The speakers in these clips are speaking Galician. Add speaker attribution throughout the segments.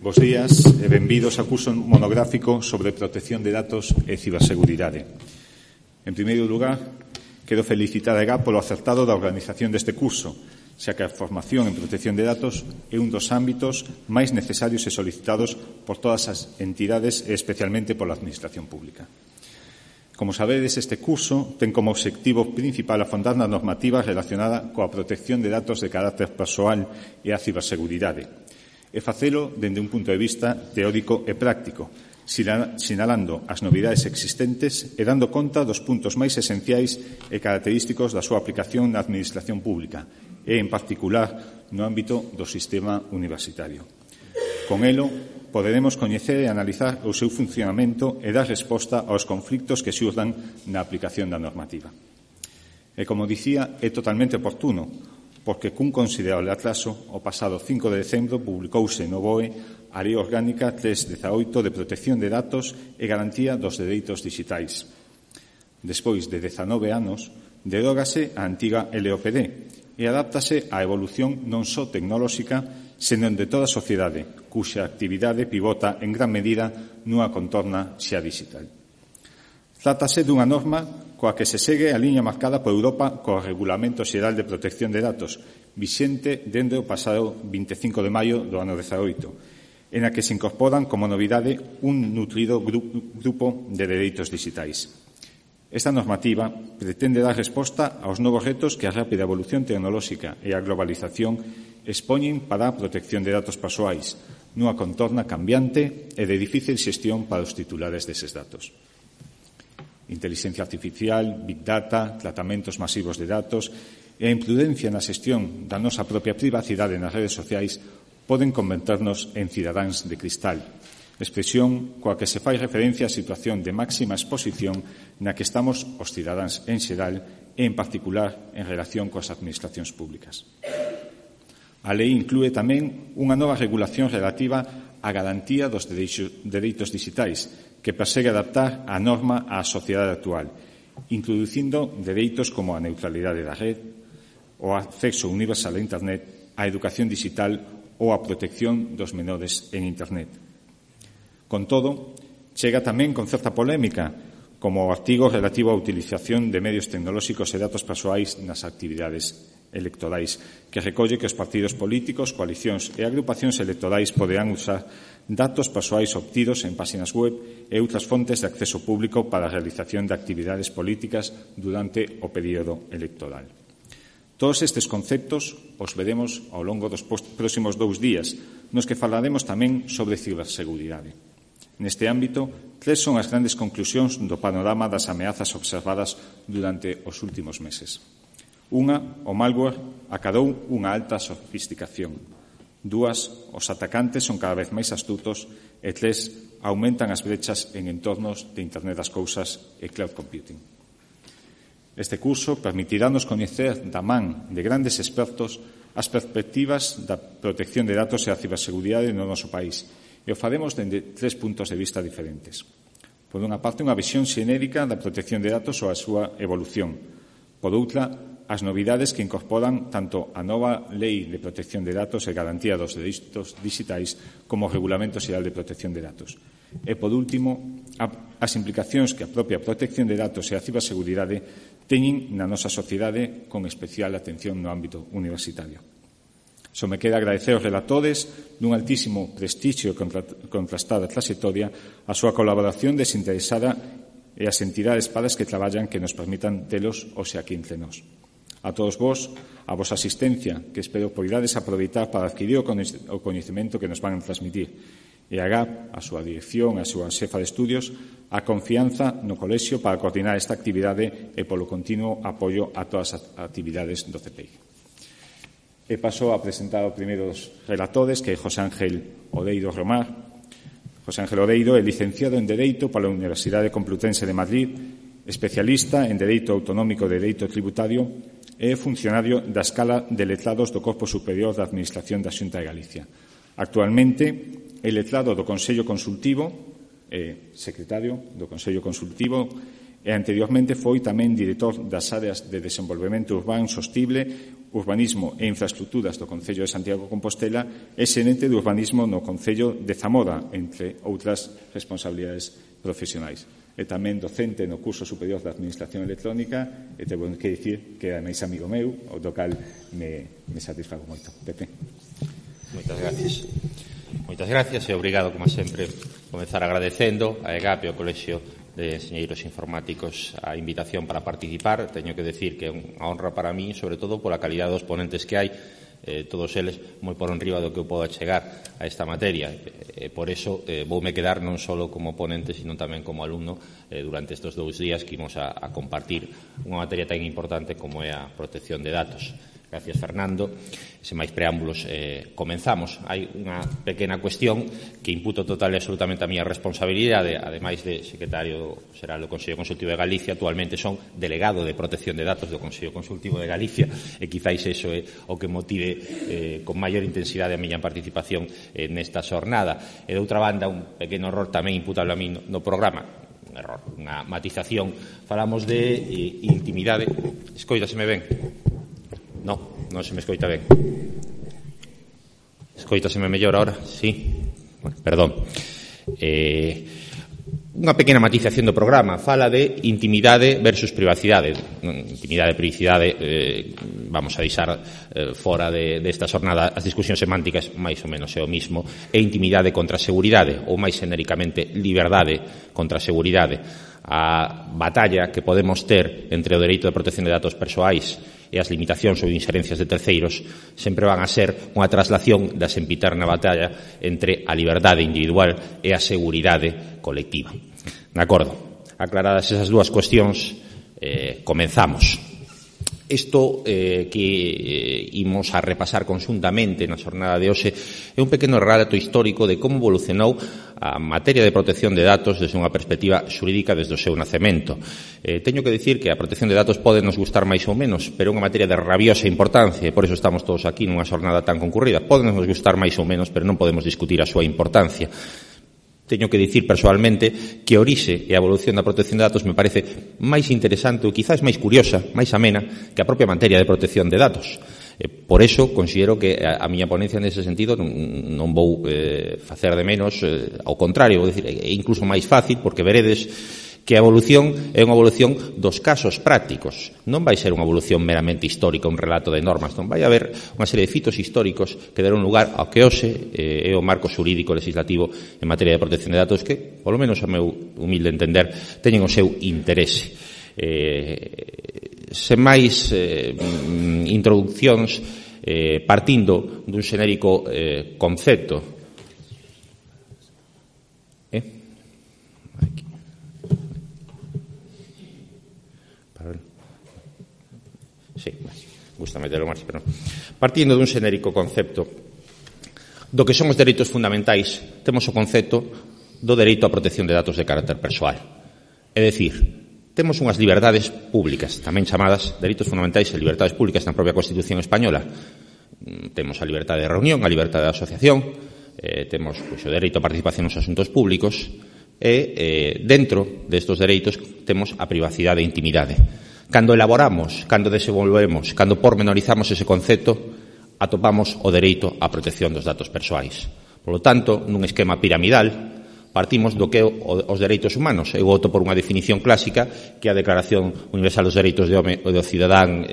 Speaker 1: Bos días e benvidos ao curso monográfico sobre protección de datos e ciberseguridade. En primeiro lugar, quero felicitar a EGAP polo acertado da organización deste curso, xa que a formación en protección de datos é un dos ámbitos máis necesarios e solicitados por todas as entidades e especialmente pola Administración Pública. Como sabedes, este curso ten como obxectivo principal afondar na normativa relacionada coa protección de datos de carácter persoal e a ciberseguridade, e facelo dende un punto de vista teórico e práctico, sinalando as novidades existentes e dando conta dos puntos máis esenciais e característicos da súa aplicación na Administración Pública e, en particular, no ámbito do sistema universitario. Con elo, poderemos coñecer e analizar o seu funcionamento e dar resposta aos conflitos que xurdan na aplicación da normativa. E, como dicía, é totalmente oportuno, porque cun considerable atraso, o pasado 5 de decembro publicouse no BOE a Lei Orgánica 318 de Protección de Datos e Garantía dos Dereitos Dixitais. Despois de 19 anos, derógase a antiga LOPD e adáptase á evolución non só tecnolóxica, senón de toda a sociedade, cuxa actividade pivota en gran medida nunha contorna xa digital. Trátase dunha norma coa que se segue a liña marcada por Europa co Regulamento Xeral de Protección de Datos, vixente dende o pasado 25 de maio do ano 18, en a que se incorporan como novidade un nutrido grupo de dereitos digitais. Esta normativa pretende dar resposta aos novos retos que a rápida evolución tecnolóxica e a globalización expoñen para a protección de datos persoais, nunha contorna cambiante e de difícil xestión para os titulares deses datos. Intelixencia artificial, big data, tratamentos masivos de datos e a imprudencia na xestión da nosa propia privacidade nas redes sociais poden converternos en cidadáns de cristal, expresión coa que se fai referencia á situación de máxima exposición na que estamos os cidadáns en xeral e, en particular, en relación coas administracións públicas. A lei inclúe tamén unha nova regulación relativa á garantía dos dereitos digitais, que persegue adaptar a norma á sociedade actual, introducindo dereitos como a neutralidade da red, o acceso universal a Internet, a educación digital ou a protección dos menores en Internet. Con todo, chega tamén con certa polémica, como o artigo relativo á utilización de medios tecnolóxicos e datos persoais nas actividades electorais, que recolle que os partidos políticos, coalicións e agrupacións electorais poderán usar datos persoais obtidos en páxinas web e outras fontes de acceso público para a realización de actividades políticas durante o período electoral. Todos estes conceptos os veremos ao longo dos próximos 2 días, nos que falaremos tamén sobre ciberseguridade. Neste ámbito, 3 son as grandes conclusións do panorama das ameazas observadas durante os últimos meses. Unha, o malware acadou unha alta sofisticación. 2, os atacantes son cada vez máis astutos. E 3, aumentan as brechas en entornos de Internet das Cousas e cloud computing. Este curso permitirános coñecer da man de grandes expertos as perspectivas da protección de datos e a ciberseguridade no noso país, e o faremos dende 3 puntos de vista diferentes. Por unha parte, unha visión xenérica da protección de datos ou a súa evolución. Por outra, as novidades que incorporan tanto a nova Lei de Protección de Datos e Garantía dos Dereitos Dixitais como o Regulamento Xeral de Protección de Datos. E, por último, as implicacións que a propia protección de datos e a ciberseguridade teñen na nosa sociedade con especial atención no ámbito universitario. Só me queda agradecer aos relatores dun altísimo prestixio e contrastada trayectoria a súa colaboración desinteresada e as entidades para as que traballan que nos permitan telos hoxe aquí entre nós. A todos vos, a vosa asistencia, que espero poidades aproveitar para adquirir o coñecemento que nos van a transmitir. E a GAP, a súa dirección, a súa xefa de estudios, a confianza no colexio para coordinar esta actividade e polo continuo apoio a todas as actividades do CPI. E paso a presentar o primeiro dos relatores, que é José Ángel Odeiro Romar. José Ángel Odeiro é licenciado en Dereito pola Universidade Complutense de Madrid, especialista en Dereito Autonómico de Dereito Tributario e funcionario da Escala de Letrados do Corpo Superior da Administración da Xunta de Galicia. Actualmente é letrado do Consello Consultivo, secretario do Consello Consultivo e anteriormente foi tamén director das áreas de desenvolvemento urbano sostible, urbanismo e infraestructuras do Concello de Santiago de Compostela e xerente de urbanismo no Concello de Zamora, entre outras responsabilidades profesionais. E tamén docente no curso superior de Administración Electrónica e tengo que dicir que é máis amigo meu, o do cal me satisfago moito. Pepe.
Speaker 2: Moitas gracias e obrigado, como sempre, comenzar agradecendo a EGAP e ao Colexio de Enxeñeiros Informáticos a invitación para participar. Teño que decir que é unha honra para mí, sobre todo pola calidad dos ponentes que hai, todos eles moi por enriba do que eu podo chegar a esta materia. Por eso voume quedar non só como ponente, sino tamén como alumno durante estes 2 días que imos a compartir unha materia tan importante como é a protección de datos. Gracias, Fernando. Sen máis preámbulos, comenzamos. Hai unha pequena cuestión que imputo total e absolutamente a miña responsabilidade, ademais de secretario xeral do Consello Consultivo de Galicia, actualmente son delegado de protección de datos do Consello Consultivo de Galicia, e quizáis iso é o que motive con maior intensidade a miña participación nesta xornada. E, de outra banda, un pequeno error tamén imputable a mí no programa, un error, unha matización. Falamos de intimidade. Escoitaseme ben? Non se me escoita ben. Escoitaseme mellor ahora? Sí? Bueno, perdón. Unha pequena matización do programa. Fala de intimidade versus privacidade. Intimidade e privacidade vamos a deixar fora desta xornada. As discusións semánticas máis ou menos é o mismo. E intimidade contra a seguridade, ou máis xenéricamente liberdade contra a seguridade. A batalla que podemos ter entre o dereito de protección de datos persoais e as limitacións ou inxerencias de terceiros sempre van a ser unha traslación da sempiterna batalla entre a liberdade individual e a seguridade colectiva. De acordo, aclaradas esas dúas cuestións, comenzamos. Isto que imos a repasar conxuntamente na xornada de hoxe é un pequeno relato histórico de como evolucionou a materia de protección de datos desde unha perspectiva xurídica desde o seu nacemento. Teño que dicir que a protección de datos pode nos gustar máis ou menos, pero é unha materia de rabiosa importancia e por iso estamos todos aquí nunha xornada tan concurrida. Pode nos gustar máis ou menos, pero non podemos discutir a súa importancia. Teño que dicir persoalmente que a orixe e a evolución da protección de datos me parece máis interesante ou quizás máis curiosa, máis amena que a propia materia de protección de datos. Por eso considero que a miña ponencia nese sentido non vou facer de menos, ao contrario, vou dicir, é incluso máis fácil porque veredes que a evolución é unha evolución dos casos prácticos. Non vai ser unha evolución meramente histórica, un relato de normas, non vai haber unha serie de fitos históricos que deron lugar ao que hoxe é o marco xurídico legislativo en materia de protección de datos que, polo menos a meu humilde entender, teñen o seu interese. Sen máis introduccións, partindo dun xenérico concepto. Sí, gusta meterlo máis, pero non. Partindo dun xenérico concepto do que son os dereitos fundamentais, temos o concepto do dereito á protección de datos de carácter persoal. É dicir, temos unhas liberdades públicas, tamén chamadas dereitos fundamentais e liberdades públicas na propia Constitución española. Temos a liberdade de reunión, a liberdade de asociación, temos o dereito á participación nos asuntos públicos e dentro destes dereitos temos a privacidade e intimidade. Cando elaboramos, cando desenvolvemos, cando pormenorizamos ese concepto, atopamos o dereito á protección dos datos persoais. Por lo tanto, nun esquema piramidal, partimos do que é os dereitos humanos. Eu voto por unha definición clásica que é a Declaración Universal dos Dereitos do Home e do Cidadán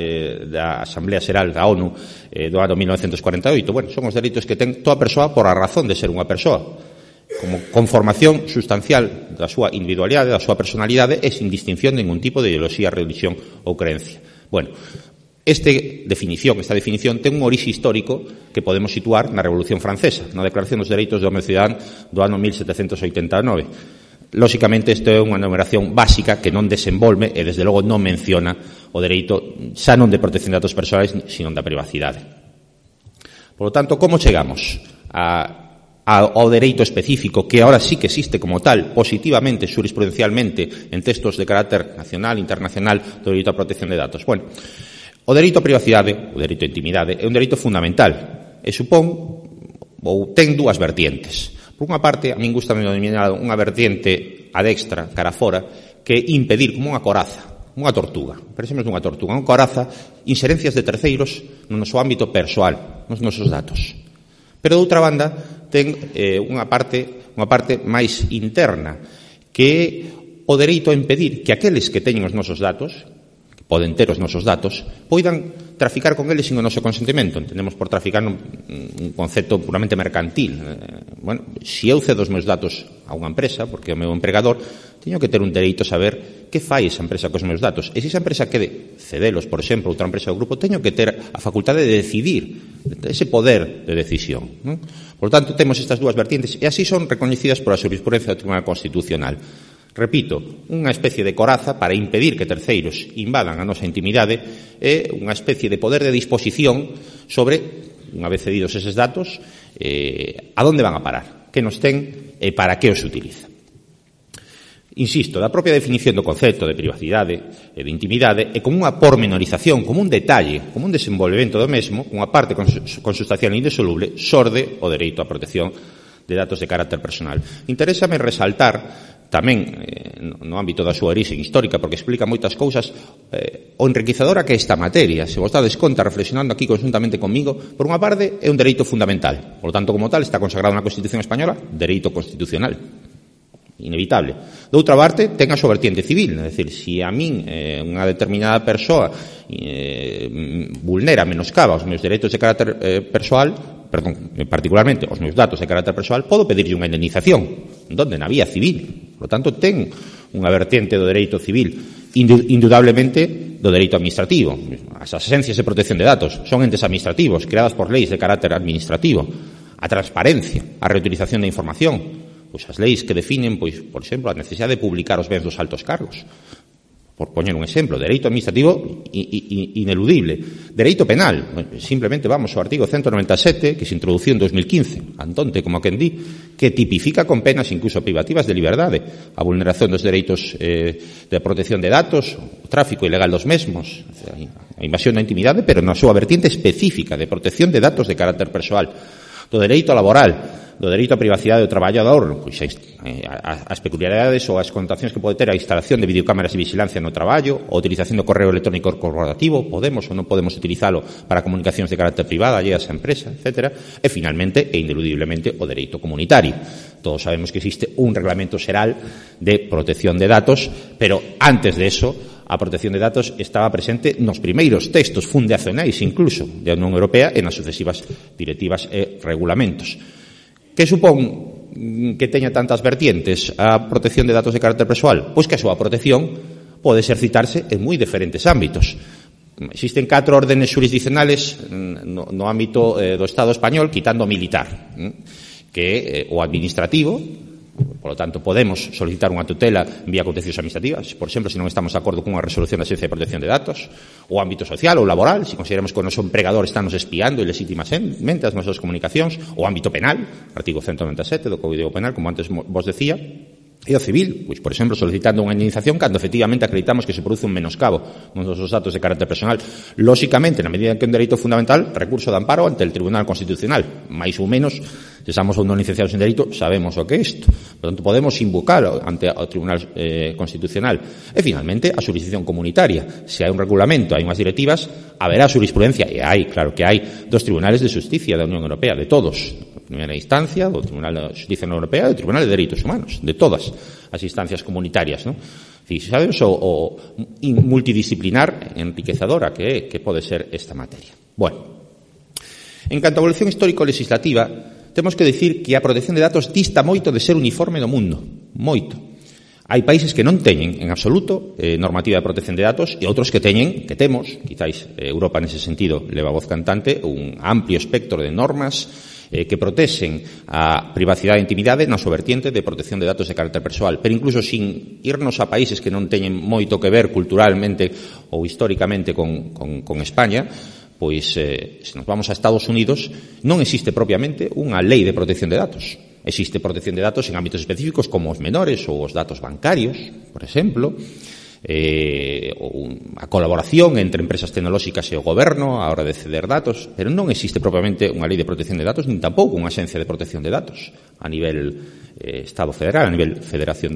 Speaker 2: da Asamblea Xeral da ONU do ano 1948. Bueno, son os dereitos que ten toda persoa por a razón de ser unha persoa, como conformación sustancial da súa individualidade, da súa personalidade e sin distinción de ningún tipo de ideoloxía, religión ou creencia. Bueno, esta definición ten un orixe histórico que podemos situar na Revolución Francesa, na Declaración dos Dereitos do Home e do Cidadán do ano 1789. Lóxicamente, isto é unha numeración básica que non desenvolve e, desde logo, non menciona o dereito xa non de protección de datos persoais, sino da privacidade. Por lo tanto, como chegamos ao dereito específico que ahora sí que existe como tal, positivamente, jurisprudencialmente, en textos de carácter nacional, internacional, do dereito á protección de datos? Bueno, o dereito á privacidade, o dereito á intimidade, é un dereito fundamental e supón, ou ten dúas vertientes. Por unha parte, a min gusta denominar unha vertiente a dextra, cara fora, que impedir como unha coraza, unha tortuga, pensemos nunha tortuga, unha coraza, inserencias de terceiros no noso ámbito persoal, nos nosos datos. Pero, de outra banda, ten unha parte máis interna, que é o dereito a impedir que aqueles que teñen os nosos datos, que poden ter os nosos datos, poidan traficar con eles sin o noso consentimento. Entendemos por traficar un concepto puramente mercantil. Bueno, se eu cedo os meus datos a unha empresa, porque é o meu empregador, teño que ter un dereito a saber que fai esa empresa cos meus datos. E se esa empresa quede cedelos, por exemplo, outra empresa do grupo, teño que ter a facultade de decidir, ese poder de decisión, non? Por tanto, temos estas dúas vertientes, e así son recoñecidas por a xurisprudencia do Tribunal Constitucional. Repito, unha especie de coraza para impedir que terceiros invadan a nosa intimidade é unha especie de poder de disposición sobre, unha vez cedidos eses datos, a donde van a parar, que nos ten e para que os utiliza. Insisto, da propia definición do concepto de privacidade e de intimidade e como unha pormenorización, como un detalle, como un desenvolvemento do mesmo, unha parte consustancial e indisoluble, xorde o dereito á protección de datos de carácter personal. Interésame resaltar tamén no ámbito da súa orixe histórica, porque explica moitas cousas, o enriquecedora que é esta materia. Se vos dades conta, reflexionando aquí conjuntamente comigo, por unha parte é un dereito fundamental, por lo tanto, como tal, está consagrado na Constitución Española, dereito constitucional, inevitable. De outra parte, ten a súa vertiente civil, é dicir, se a min unha determinada persoa vulnera, menoscaba os meus dereitos de carácter particularmente os meus datos de carácter persoal, podo pedirlle unha indemnización, donde na vía civil. Por lo tanto, ten unha vertiente do dereito civil, indudablemente do dereito administrativo. As agencias de protección de datos son entes administrativos creadas por leis de carácter administrativo. A transparencia, a reutilización da información, pois as leis que definen, pois, por exemplo, a necesidade de publicar os bens dos altos cargos. Por poñer un exemplo, dereito administrativo ineludible. Dereito penal, simplemente vamos ao artigo 197, que se introduciu en 2015, antonte, como quen di, que tipifica con penas incluso privativas de liberdade a vulneración dos dereitos de protección de datos, o tráfico ilegal dos mesmos, a invasión da intimidade, pero na súa vertiente específica de protección de datos de carácter persoal, do dereito laboral, do dereito á privacidade do traballador, pois as peculiaridades ou as connotacións que pode ter a instalación de videocámaras de vigilancia no traballo, a utilización do correo electrónico corporativo, podemos ou non podemos utilizalo para comunicacións de carácter privado alleas á empresa, etc. E, finalmente, e ineludiblemente, o dereito comunitario. Todos sabemos que existe un reglamento xeral de protección de datos, pero antes de eso, a protección de datos estaba presente nos primeiros textos fundacionais, incluso, da Unión Europea e nas sucesivas directivas e regulamentos. Que supón que teña tantas vertientes a protección de datos de carácter persoal? Pois que a súa protección pode exercitarse en moi diferentes ámbitos. Existen 4 órdenes jurisdiccionales no ámbito do Estado español, quitando o militar, que é o administrativo. Por lo tanto, podemos solicitar unha tutela vía contencioso administrativa, por exemplo, se non estamos de acordo cunha resolución da Agencia de Protección de Datos, o ámbito social ou laboral, se consideramos que o noso empregador está nos espiando ilegítimamente as nosas comunicacións, o ámbito penal, artigo 197 do Código Penal, como antes vos decía, e o civil, pois, por exemplo, solicitando unha indemnización cando efectivamente acreditamos que se produce un menoscabo nos nosos datos de carácter personal. Lóxicamente, na medida que é un dereito fundamental, recurso de amparo ante el Tribunal Constitucional, máis ou menos, se somos ou non licenciados en dereito, sabemos o que é isto. Por tanto, podemos invocar ante o Tribunal Constitucional. E, finalmente, a xurisdicción comunitaria. Se hai un regulamento, hai unhas directivas, haberá xurisprudencia, e hai, claro que hai, dos tribunales de justicia da Unión Europea, de todos. Primeira instancia, do Tribunal de Justicia Europea e do Tribunal de Dereitos Humanos, de todas as instancias comunitarias, non? Sabes o multidisciplinar enriquecedora que pode ser esta materia. Bueno, en canto a evolución histórico-legislativa, temos que dicir que a protección de datos dista moito de ser uniforme no mundo, moito. Hai países que non teñen en absoluto normativa de protección de datos e outros que teñen, que temos, quizáis Europa nese sentido leva voz cantante, un amplio espectro de normas que protexen a privacidade e intimidade na súa vertiente de protección de datos de carácter persoal, pero incluso sin irnos a países que non teñen moito que ver culturalmente ou históricamente con España, pois se nos vamos a Estados Unidos non existe propiamente unha lei de protección de datos. Existe protección de datos en ámbitos específicos como os menores ou os datos bancarios, por exemplo, a colaboración entre empresas tecnolóxicas e o goberno a hora de ceder datos, pero non existe propiamente unha lei de protección de datos, nin tampouco unha axencia de protección de datos a nivel Estado federal, a nivel federación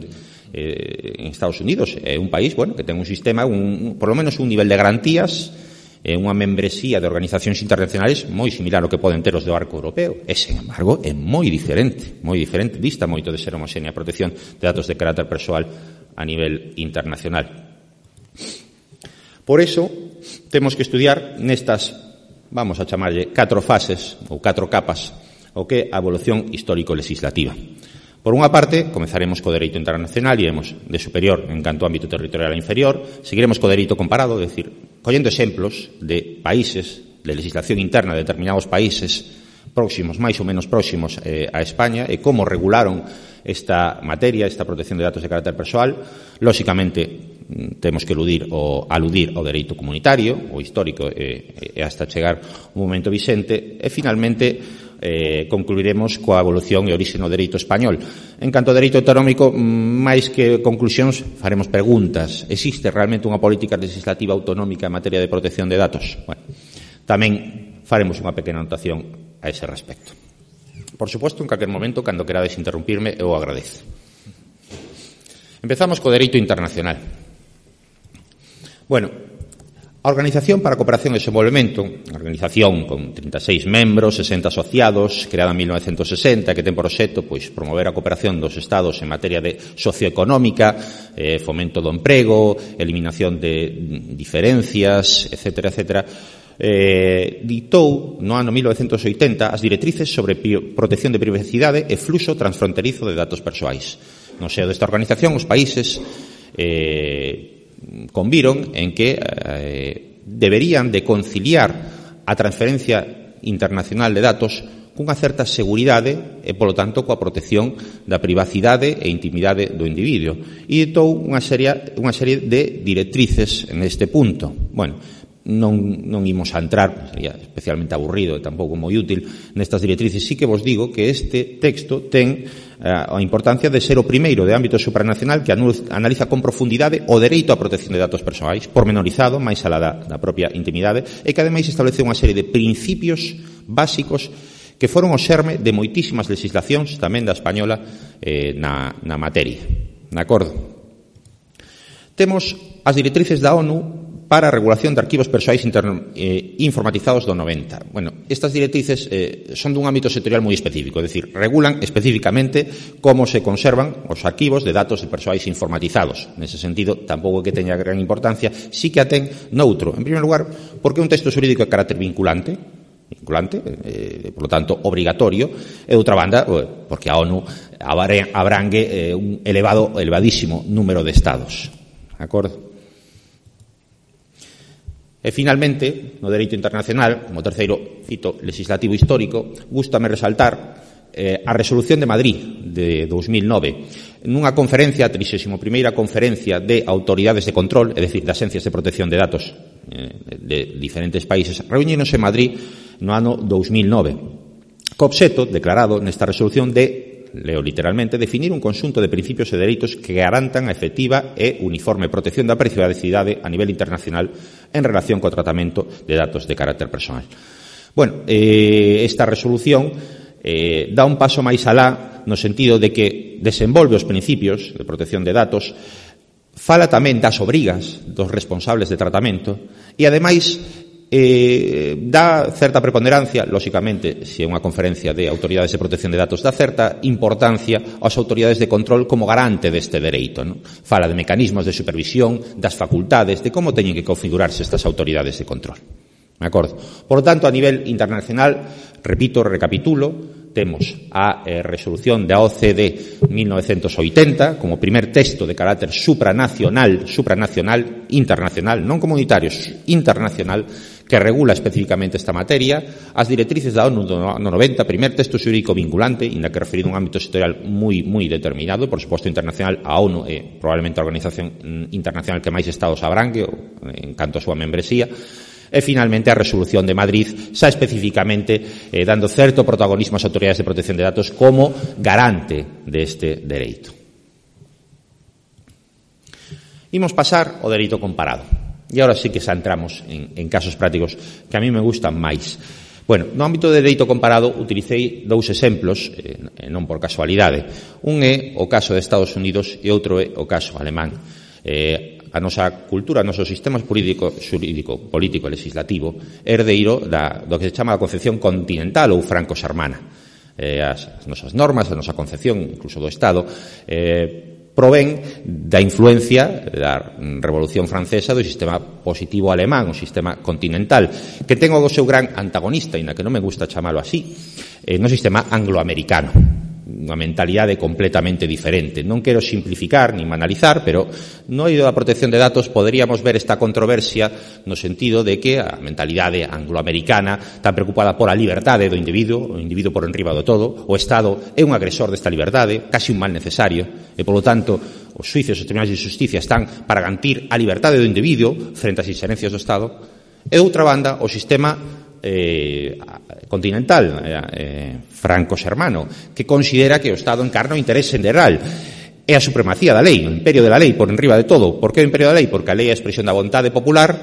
Speaker 2: en Estados Unidos é un país, bueno, que ten un sistema, por lo menos un nivel de garantías, unha membresía de organizacións internacionais moi similar ao que poden ter os do arco europeo. E, sen embargo, é moi diferente, dista moito de ser homoxénea a protección de datos de carácter persoal a nivel internacional. Por eso, temos que estudiar nestas, vamos a chamarlle, 4 fases ou 4 capas, o que é a evolución histórico-legislativa. Por unha parte, comezaremos co dereito internacional e iremos de superior en canto ao ámbito territorial a inferior, seguiremos co dereito comparado, é dicir, collendo exemplos de países, de legislación interna de determinados países próximos, máis ou menos próximos a España, e como regularon esta materia, esta protección de datos de carácter persoal. Lóxicamente, temos que aludir ao dereito comunitario, o histórico, e hasta chegar un momento vixente, e finalmente concluiremos coa evolución e orixe no dereito español. En canto ao dereito autonómico, máis que conclusións, faremos preguntas. Existe realmente unha política legislativa autonómica en materia de protección de datos? Bueno, tamén faremos unha pequena anotación a ese respecto. Por suposto, en calquer momento, cando querades interrumpirme, eu agradezo. Empezamos co dereito internacional. Bueno, a Organización para a Cooperación e Desenvolvemento, a organización con 36 membros, 60 asociados, creada en 1960, que ten por obxecto promover a cooperación dos Estados en materia de socioeconómica, fomento do emprego, eliminación de diferencias, etcétera, etcétera, ditou no ano 1980 as directrices sobre protección de privacidade e fluxo transfronterizo de datos persoais. No seo desta organización, os países conviron en que deberían de conciliar a transferencia internacional de datos cunha certa seguridade e, polo tanto, coa protección da privacidade e intimidade do individuo. E ditou unha serie de directrices neste punto. Bueno, non imos a entrar, sería especialmente aburrido e tampouco moi útil nestas directrices. Sí que vos digo que este texto ten a importancia de ser o primeiro de ámbito supranacional que analiza con profundidade o dereito á protección de datos persoais, pormenorizado, máis alá da propia intimidade, e que ademais establece unha serie de principios básicos que foron o xerme de moitísimas legislacións, tamén da española, na materia. De acordo? Temos as directrices da ONU para a regulación de arquivos persoais informatizados do 90. Bueno, estas directrices son dun ámbito sectorial moi específico, é dicir, regulan especificamente como se conservan os arquivos de datos de persoais informatizados. Nese sentido, tampouco que teña gran importancia, sí que a ten noutro. En primeiro lugar, porque é un texto xurídico de carácter vinculante, por lo tanto, obrigatorio, e outra banda, porque a ONU abrangue un elevadísimo número de estados. De acordo? E, finalmente, no dereito internacional, como terceiro fito legislativo histórico, gústame resaltar a Resolución de Madrid de 2009. Nunha conferencia, a 31ª conferencia de autoridades de control, é dicir, de axencias de protección de datos de diferentes países, reuniéronse en Madrid no ano 2009. Co obxecto, declarado nesta resolución, de, leo literalmente, definir un conxunto de principios e dereitos que garantan a efectiva e uniforme protección da privacidade a nivel internacional en relación co tratamento de datos de carácter persoal. Bueno, esta resolución dá un paso máis alá no sentido de que desenvolve os principios de protección de datos, fala tamén das obrigas dos responsables de tratamento e, ademais, dá certa preponderancia, lóxicamente, se é unha conferencia de autoridades de protección de datos, dá certa importancia ás autoridades de control como garante deste dereito, non? Fala de mecanismos de supervisión, das facultades, de como teñen que configurarse estas autoridades de control. De acordo? Por lo tanto, a nivel internacional, repito, recapitulo, temos a resolución da OCDE 1980 como primer texto de carácter supranacional, internacional, non comunitario, internacional, que regula especificamente esta materia, as directrices da ONU no 90, primer texto xurídico vinculante, inda que referido a un ámbito sectorial moi determinado, por suposto internacional, a ONU é probablemente a organización internacional que máis estados abrangue en canto a súa membresía. E, finalmente, a Resolución de Madrid, xa especificamente dando certo protagonismo ás autoridades de protección de datos como garante deste dereito. Imos pasar ao dereito comparado. E agora sí que xa entramos en casos prácticos que a mí me gustan máis. Bueno, no ámbito de dereito comparado utilicei dous exemplos, non por casualidade. Un é o caso de Estados Unidos e outro é o caso alemán. A nosa cultura, o noso sistema xurídico, político e legislativo é herdeiro do que se chama a concepción continental ou franco-xermana. As nosas normas, a nosa concepción, incluso do Estado, provén da influencia da Revolución Francesa do sistema positivo alemán, o sistema continental, que ten o seu gran antagonista, e na que non me gusta chamalo así, no sistema angloamericano, unha mentalidade completamente diferente. Non quero simplificar ni banalizar, pero no eido da protección de datos poderíamos ver esta controversia no sentido de que a mentalidade angloamericana está preocupada por a liberdade do individuo, o individuo por enriba do todo, o Estado é un agresor desta liberdade, casi un mal necesario, e, polo tanto, os xuicios e os tribunais de justicia están para garantir a liberdade do individuo frente ás inxerencias do Estado, e, de outra banda, o sistema continental, franco-xermano, que considera que o Estado encarna o interés xeneral e a supremacía da lei, o imperio de la lei por enriba de todo. Por que o imperio da lei? Porque a lei é a expresión da vontade popular,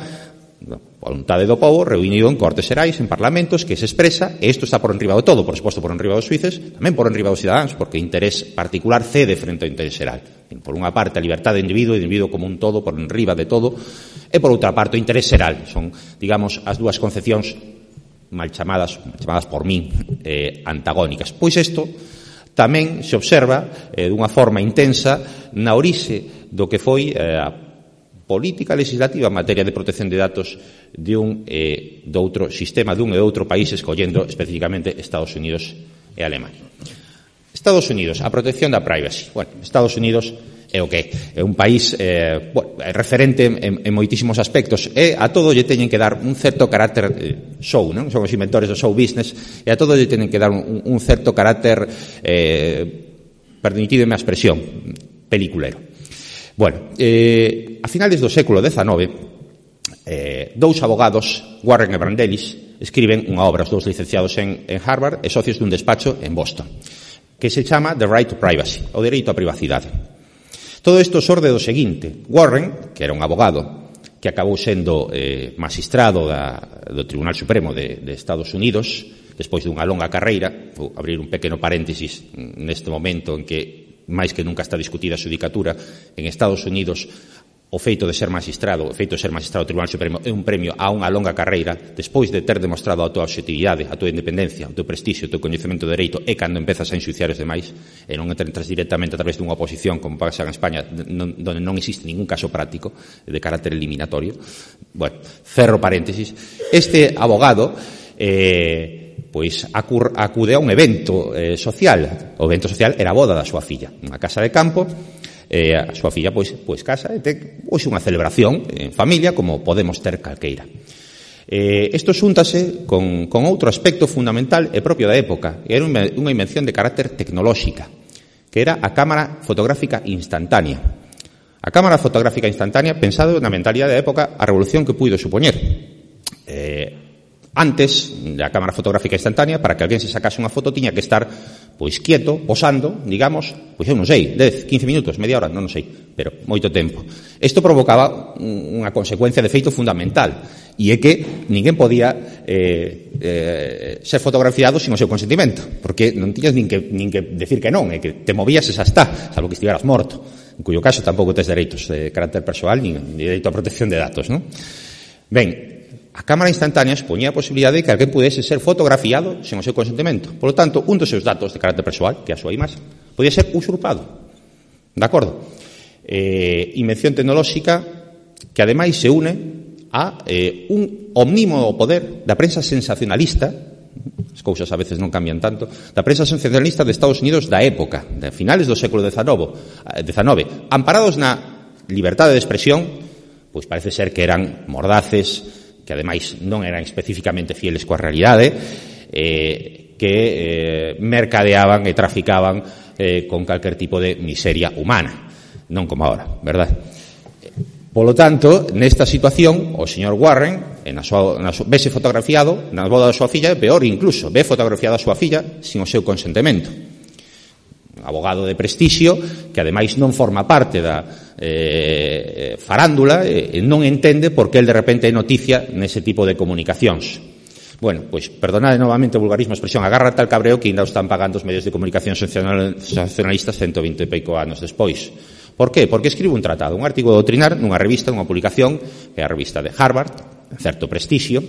Speaker 2: voluntade do povo reunido en cortes xerais, en parlamentos, que se expresa, e isto está por enriba do todo, por suposto por enriba dos xuíces, tamén por enriba dos cidadáns, porque o interés particular cede frente ao interés xeral. Por unha parte, a liberdade do individuo como un todo, por enriba de todo, e por outra parte, o interés xeral. Son, digamos, as dúas concepcións mal chamadas por min, antagónicas. Pois isto tamén se observa dunha forma intensa na orixe do que foi a política legislativa en materia de protección de datos de un e do outro sistema, dun e do outro país, escollendo especificamente Estados Unidos e Alemania. Estados Unidos, a protección da privacy. Bueno, Estados Unidos é o que é un país referente en moitísimos aspectos, e a todo lle teñen que dar un certo carácter show, non? Son os inventores do show business, e a todo lle teñen que dar un certo carácter, permitideme a expresión, peliculero. Bueno, a finales do século XIX, dous abogados, Warren e Brandeis, escriben unha obra, os dous licenciados en Harvard e socios dun despacho en Boston, que se chama The Right to Privacy, o dereito á privacidade. Todo isto xorde do seguinte: Warren, que era un abogado que acabou sendo magistrado do Tribunal Supremo de Estados Unidos, despois dunha longa carreira, vou abrir un pequeno paréntesis neste momento en que máis que nunca está discutida a xudicatura en Estados Unidos. O feito de ser magistrado do Tribunal Supremo é un premio a unha longa carreira, despois de ter demostrado a tua objetividade, a tua independencia, o teu prestixio, o teu coñecemento de dereito, é cando empezas a ensuciar os demais, e non entras directamente a través dunha oposición, como pasa en España, donde non existe ningún caso práctico de carácter eliminatorio. Bueno, cerro paréntesis. Este abogado pois acude a un evento social. O evento social era a boda da súa filla, unha casa de campo. A súa filla pois casa e ten unha celebración en familia como podemos ter calqueira. Isto xúntase con outro aspecto fundamental e propio da época. Era unha invención de carácter tecnolóxica, que era a cámara fotográfica instantánea. A cámara fotográfica instantánea, pensado na mentalidade da época, a revolución que puido supoñer. Antes da cámara fotográfica instantánea, para que alguén se sacase unha foto, tiña que estar pois quieto, posando, digamos, pois eu non sei, 10, 15 minutos, media hora, non sei, pero moito tempo. Isto provocaba unha consecuencia de feito fundamental, e é que ninguén podía ser fotografiado sin o seu consentimento, porque non tiñas nin que decir que non, é que te movías e xa está, salvo que estiveras morto, en cuyo caso tampouco tes dereitos de carácter persoal nin dereito a protección de datos, non? Ben, a cámara instantánea expoñía a posibilidade de que alguén pudese ser fotografiado sen o seu consentimento. Por lo tanto, un dos seus datos de carácter persoal, que é a súa imaxe, podía ser usurpado. De acordo? Invención tecnolóxica que ademais se une a un omnímodo poder da prensa sensacionalista, as cousas a veces non cambian tanto, da prensa sensacionalista de Estados Unidos da época, de finales do século XIX, amparados na liberdade de expresión, pois parece ser que eran mordaces, que ademais non eran especificamente fieles coa realidade, que mercadeaban e traficaban con calquer tipo de miseria humana, non como ahora, verdad? Polo tanto, nesta situación, o señor Warren vese fotografiado na boda da súa filla, e peor incluso, ve fotografiada a súa filla sin o seu consentimento. Un abogado de prestixio que ademais non forma parte da farándula e non entende por que el de repente é noticia nese tipo de comunicacións. Bueno, pois, perdonade novamente o vulgarismo, a expresión, agárrate al cabreo que ainda o están pagando os medios de comunicación sensacionalistas 120 e pico anos despois. Por qué? Porque escribe un tratado, un artigo doutrinar nunha revista, nunha publicación, que é a revista de Harvard, certo prestixio,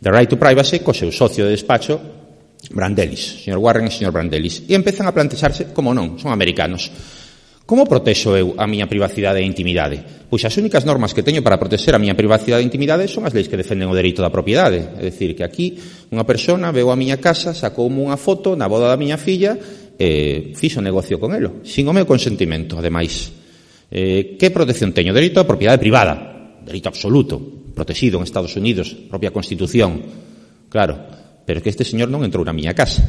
Speaker 2: The Right to Privacy, co seu socio de despacho, Brandeis, señor Warren e señor Brandeis, e empezan a plantexarse, como non, son americanos. Como protexo eu a miña privacidade e intimidade? Pois as únicas normas que teño para protexer a miña privacidade e intimidade son as leis que defenden o dereito da propiedade. É dicir, que aquí unha persona veu a miña casa, sacoume unha foto na boda da miña filla e fixo negocio con elo, sin o meu consentimento, ademais. Que protección teño? Dereito á propiedade privada, dereito absoluto, protegido en Estados Unidos, propia Constitución. Claro, pero que este señor non entrou na miña casa,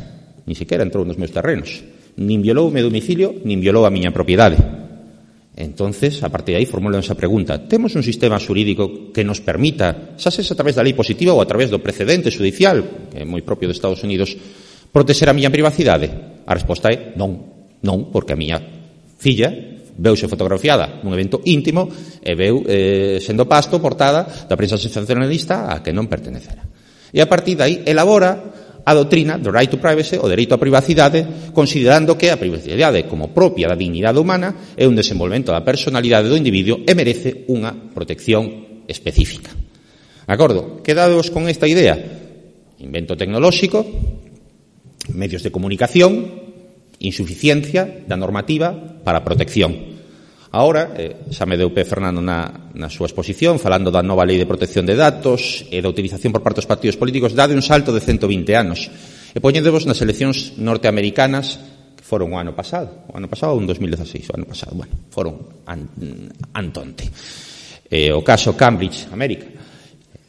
Speaker 2: ni sequera entrou nos meus terrenos. Nin violou o meu domicilio, nin violou a miña propiedade. Entonces, a partir de aí, formulo esa pregunta. Temos un sistema xurídico que nos permita, xa sexa a través da lei positiva ou a través do precedente judicial, que é moi propio de Estados Unidos, protexer a miña privacidade? A resposta é non. Non, porque a miña filla veuse fotografiada nun evento íntimo e veu sendo pasto portada da prensa sensacionalista a que non pertenecera. E a partir de aí, elabora a doutrina do right to privacy, o dereito á privacidade, considerando que a privacidade como propia da dignidade humana é un desenvolvemento da personalidade do individuo e merece unha protección específica. De acordo? Quedados con esta idea? Invento tecnolóxico, medios de comunicación, insuficiencia da normativa para a protección. Ahora, xa me deu pé Fernando na súa exposición, falando da nova lei de protección de datos e da utilización por parte dos partidos políticos, dade un salto de 120 anos. E poñéndevos nas eleccións norteamericanas, que foron o ano pasado ou en 2016, o ano pasado, bueno, foron antonte. O caso Cambridge Analytica.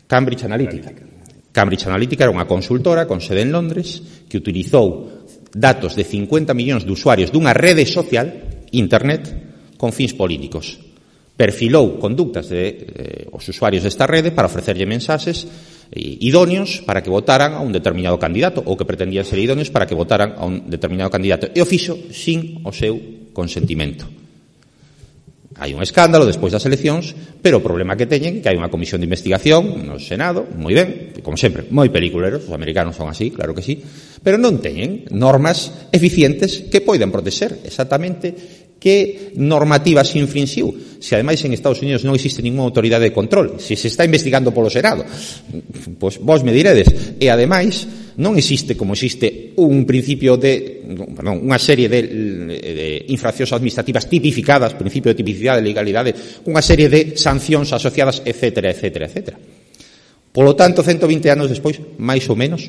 Speaker 2: Cambridge Analytica era unha consultora con sede en Londres que utilizou datos de 50 millóns de usuarios dunha rede social, Internet, con fins políticos. Perfilou conductas de os usuarios desta rede para ofrecerlle mensaxes idóneos para que votaran a un determinado candidato ou que pretendían ser idóneos para que votaran a un determinado candidato. E o fixo sin o seu consentimento. Hai un escándalo despois das eleccións, pero o problema que teñen é que hai unha comisión de investigación no Senado, moi ben, como sempre, moi peliculeros, os americanos son así, claro que sí, pero non teñen normas eficientes que poidan protexer exactamente que normativa se infrinxiu. Se ademais en Estados Unidos non existe ninguna autoridade de control, se está investigando polo Senado, pois vos me diredes. E ademais non existe, como existe un principio unha serie de infraccións administrativas tipificadas, principio de tipicidade, de legalidade, unha serie de sancións asociadas, etcétera, etcétera, etcétera. Polo tanto, 120 anos despois, máis ou menos,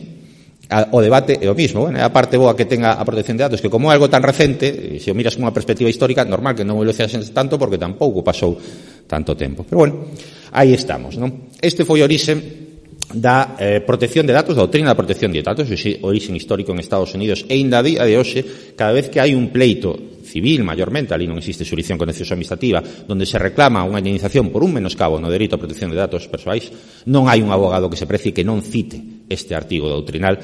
Speaker 2: o debate é o mismo. Bueno, é a parte boa que tenga a protección de datos, que como é algo tan recente, se o miras con unha perspectiva histórica, normal que non o elogiasen tanto porque tampouco pasou tanto tempo. Pero bueno, aí estamos, non? Este foi o orixe da protección de datos, da doutrina da protección de datos, o orixe histórico en Estados Unidos, e ainda a día de hoxe, cada vez que hai un pleito civil, maiormente, ali non existe xurisdicción contenciosa administrativa, donde se reclama unha indemnización por un menoscabo no dereito a protección de datos persoais, non hai un abogado que se precie que non cite este artigo doutrinal,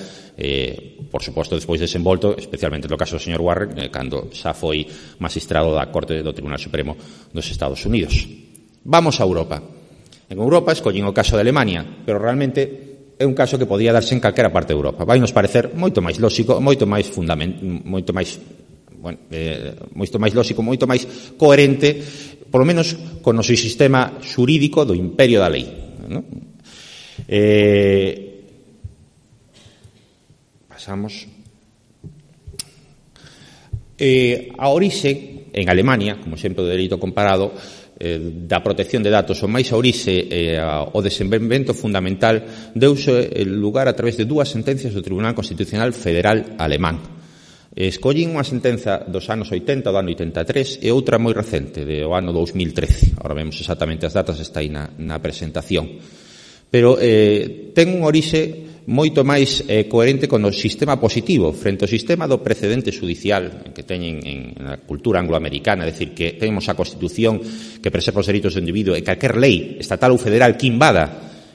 Speaker 2: por suposto, despois desenvolto, especialmente no caso do señor Warren, cando xa foi magistrado da Corte do Tribunal Supremo dos Estados Unidos. Vamos a Europa. En Europa escollen o caso de Alemania, pero realmente é un caso que podía darse en calquera parte de Europa. Vai nos parecer moito máis lóxico, moito máis lóxico, moito máis coherente, polo menos con o seu sistema xurídico do imperio da lei, non? Pasamos. A orixe en Alemania, como exemplo de dereito comparado, da protección de datos, o máis a orixe o desenvolvemento fundamental deuse lugar a través de dúas sentencias do Tribunal Constitucional Federal Alemán. Escollín unha sentenza dos anos 80, do ano 83, e outra moi recente, do ano 2013. Ahora vemos exactamente as datas, está aí na presentación. Pero ten un orixe moito máis coherente con o sistema positivo frente ao sistema do precedente judicial que teñen na cultura angloamericana, é dicir, que temos a Constitución que preserva os dereitos do individuo e calquer lei estatal ou federal que invada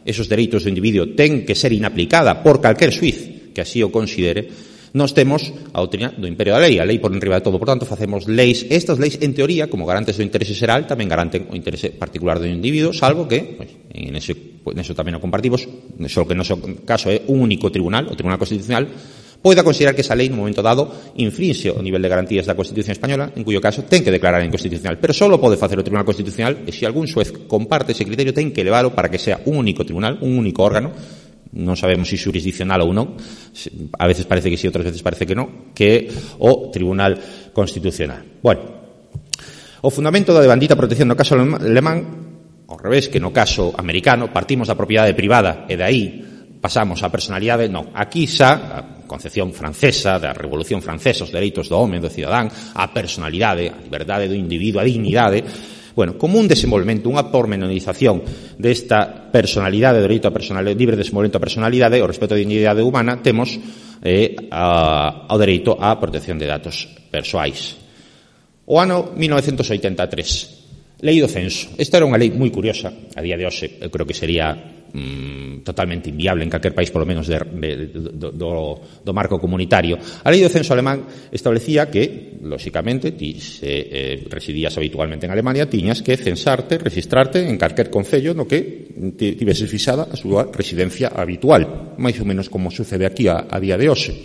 Speaker 2: esos dereitos do individuo ten que ser inaplicada por calquer xuiz que así o considere. Nós temos a doutrina do imperio da lei, a lei por enriba de todo, por tanto, facemos leis. Estas leis, en teoría, como garantes do interese xeral, tamén garanten o interese particular do individuo, salvo que, neso tamén o compartimos, só que no noso caso é un único tribunal, o Tribunal Constitucional, poida considerar que esa lei, no momento dado, infrinxe o nivel de garantías da Constitución Española, en cuyo caso ten que declarar inconstitucional. Pero só pode facer o Tribunal Constitucional e se algún xuez comparte ese criterio, ten que leválo para que sea un único tribunal, un único órgano, non sabemos se jurisdiccional ou non, a veces parece que sí, outras veces parece que non, que é o Tribunal Constitucional. Bueno, o fundamento da devandita protección no caso alemán, ao revés que no caso americano, partimos da propiedade privada e de aí pasamos á personalidade, non, aquí xa a concepción francesa, da Revolución Francesa, os dereitos do home, do cidadán, a personalidade, a liberdade do individuo, a dignidade. Bueno, como un desenvolvemento, unha pormenorización desta personalidade, do dereito a personalidade, libre desenvolvemento a personalidade, o respeto á dignidade humana, temos ao dereito á protección de datos persoais. O ano 1983, Lei do Censo. Esta era unha lei moi curiosa, a día de hoxe, eu creo que sería totalmente inviable en calquer país, polo menos do marco comunitario. A Lei do Censo alemán establecía que, lóxicamente, ti se residías habitualmente en Alemania, tiñas que censarte, registrarte en calquer concello no que tivese fixada a súa residencia habitual, máis ou menos como sucede aquí a día de hoxe.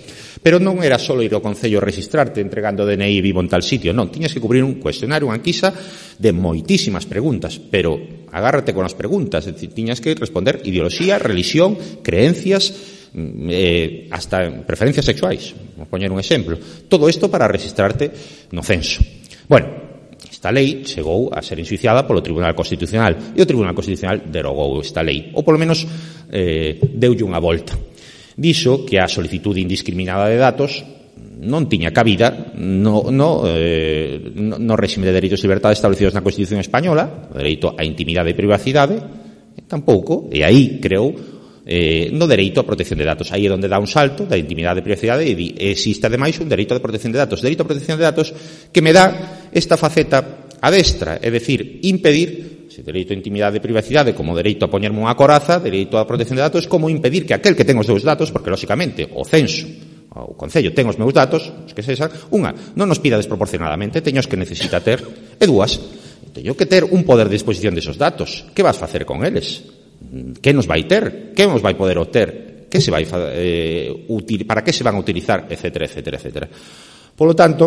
Speaker 2: Pero non era só ir ao concello registrarte entregando DNI vivo en tal sitio, non, tiñas que cubrir un cuestionario, unha anquisa de moitísimas preguntas, pero agárrate con as preguntas, é dicir, tiñas que responder ideoloxía, religión, creencias, hasta preferencias sexuais, vou poñer un exemplo. Todo isto para registrarte no censo. Bueno, esta lei chegou a ser enxuiciada polo Tribunal Constitucional e o Tribunal Constitucional derogou esta lei, ou polo menos deulle unha volta. Dixo que a solicitude indiscriminada de datos non tiña cabida no réxime de dereitos e libertades establecidos na Constitución Española, o dereito á intimidade e privacidade, tampouco, e aí creou no dereito á protección de datos. Aí é onde dá un salto da intimidade e privacidade e existe ademais un dereito de protección de datos. Dereito á protección de datos que me dá esta faceta adestra, é dicir, impedir se dereito a intimidade e privacidade como dereito a poñerme unha coraza, dereito á protección de datos, como impedir que aquel que ten os seus datos, porque lóxicamente o censo, o concello ten os meus datos, os que sexan, unha, non nos pida desproporcionadamente, teños que necesita ter, e dúas, teño que ter un poder de disposición desos datos. Que vas facer con eles? Que nos vai ter? Que nos vai poder obter? Que se vai para que se van a utilizar, etcétera, etcétera, etcétera. Polo tanto,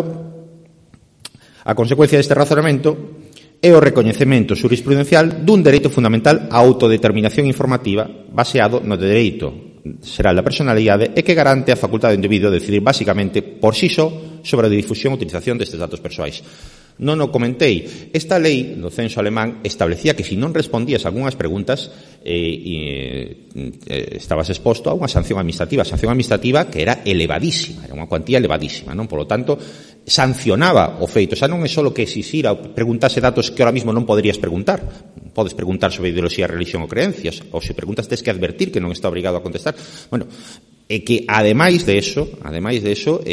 Speaker 2: a consecuencia deste razonamento é o recoñecemento xurisprudencial dun dereito fundamental á autodeterminación informativa baseado no dereito xeral da personalidade e que garante a facultade do individuo de decidir basicamente por si só sobre a difusión e utilización destes datos persoais. Non o comentei. Esta lei do censo alemán establecía que se non respondías a algunhas preguntas estabas exposto a unha sanción administrativa que era elevadísima, era unha cuantía elevadísima, non? Por lo tanto, sancionaba o feito, xa non é só que exixira ou preguntase datos que ahora mismo non poderías preguntar. Podes preguntar sobre ideoloxía, religión ou creencias, ou se preguntas tes que advertir que non está obrigado a contestar. Bueno, e que ademais de eso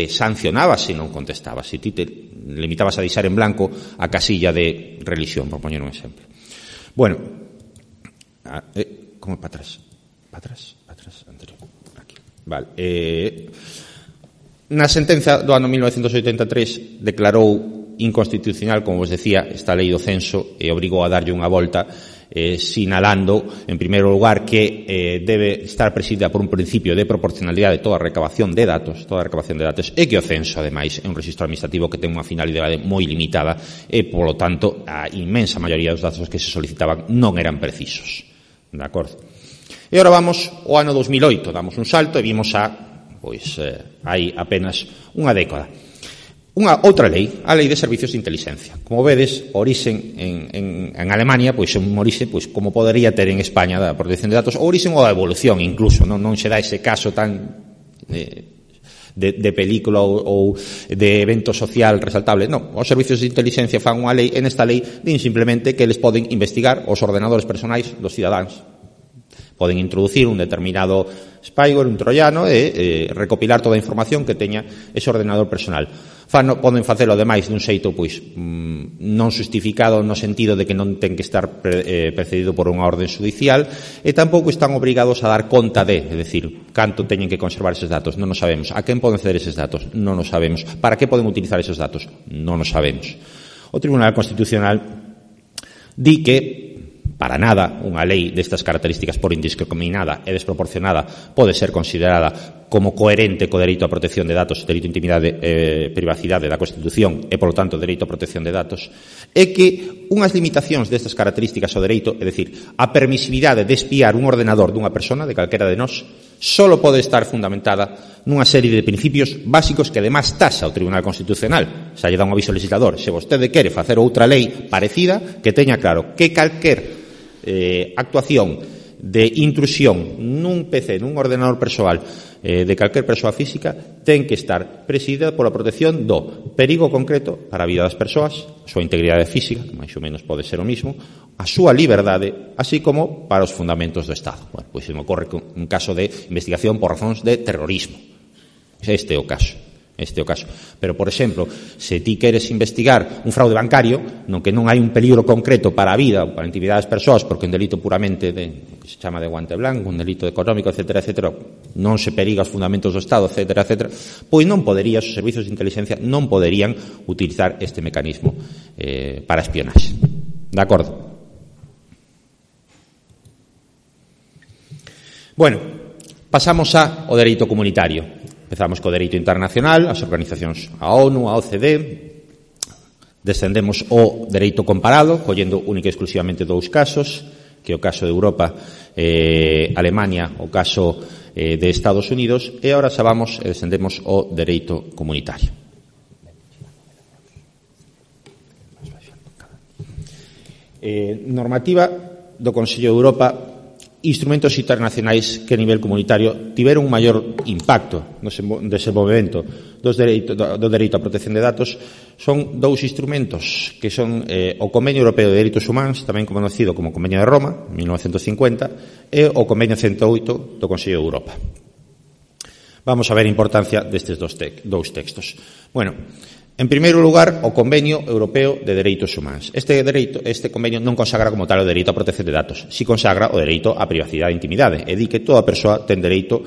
Speaker 2: sancionabas se non contestabas, se ti te limitabas a deixar en blanco a casilla de religión, por poñer un exemplo. Bueno, como para atrás, anterior, aquí, vale. Na sentenza do ano 1983 declarou inconstitucional, como vos decía, esta lei do censo e obrigou a darlle unha volta, sinalando, en primeiro lugar, que debe estar presidida por un principio de proporcionalidade toda a recabación de datos, e que o censo, ademais, é un registro administrativo que ten unha finalidade moi limitada e, polo tanto, a inmensa maioría dos datos que se solicitaban non eran precisos. De acordo? E agora vamos ao ano 2008, damos un salto e vimos hai apenas unha década. Unha outra lei, a Lei de Servicios de Intelixencia. Como vedes, orixen en Alemania, pois é un orixe, pois como podería ter en España da protección de datos, ou orixen ou a evolución incluso, non se dá ese caso tan de película ou de evento social resaltable. Non, os servicios de intelixencia fan unha lei, en esta lei din simplemente que eles poden investigar os ordenadores personais dos cidadáns. Poden introducir un determinado spyware, un troiano, e recopilar toda a información que teña ese ordenador personal. Poden facelo, ademais, dun xeito non justificado no sentido de que non ten que estar precedido por unha orden judicial, e tampouco están obrigados a dar conta de, é dicir, canto teñen que conservar eses datos, non o sabemos. A quen poden ceder eses datos? Non o sabemos. Para que poden utilizar eses datos? Non o sabemos. O Tribunal Constitucional di que para nada unha lei destas características por indiscriminada e desproporcionada pode ser considerada como coherente co dereito á protección de datos, dereito á intimidade e privacidade da Constitución e, polo tanto, dereito á protección de datos, é que unhas limitacións destas características ao dereito, é dicir, a permisividade de espiar un ordenador dunha persona, de calquera de nós, só pode estar fundamentada nunha serie de principios básicos que, además, taxa o Tribunal Constitucional. Xa lle dá un aviso ao legislador. Se vostede quere facer outra lei parecida, que teña claro que calquer actuación de intrusión nun PC, nun ordenador persoal de calquer persoa física ten que estar presidida pola protección do perigo concreto para a vida das persoas, a súa integridade física, que máis ou menos pode ser o mismo, a súa liberdade, así como para os fundamentos do Estado. Bueno, pois se me ocorre un caso de investigación por razóns de terrorismo. Este é o caso. Pero, por exemplo, se ti queres investigar un fraude bancario, no que non hai un peligro concreto para a vida ou para a intimidade das persoas, porque un delito puramente que se chama de guante blanco, un delito económico, etc., non se periga os fundamentos do Estado, etc., pois non poderías, os servizos de inteligencia non poderían utilizar este mecanismo para espionaxe. De acordo? Bueno, pasamos ao dereito comunitario. Empezamos co dereito internacional, as organizacións, a ONU, a OCDE, descendemos ao dereito comparado, collendo única e exclusivamente dous casos, que é o caso de Europa, Alemania, o caso de Estados Unidos, e agora xa vamos e descendemos ao dereito comunitario. Normativa do Consello de Europa, instrumentos internacionais que a nivel comunitario tiveron un maior impacto no desenvolvemento do dereito á protección de datos son dous instrumentos que son o Convenio Europeo de Dereitos Humanos, tamén conocido como Convenio de Roma, 1950, e o Convenio 108 do Consello de Europa. Vamos a ver a importancia destes dous textos. Bueno, en primeiro lugar, o Convenio Europeo de Dereitos Humanos. Este convenio non consagra como tal o dereito á protección de datos, si consagra o dereito á privacidade e intimidade, e di que toda persoa ten dereito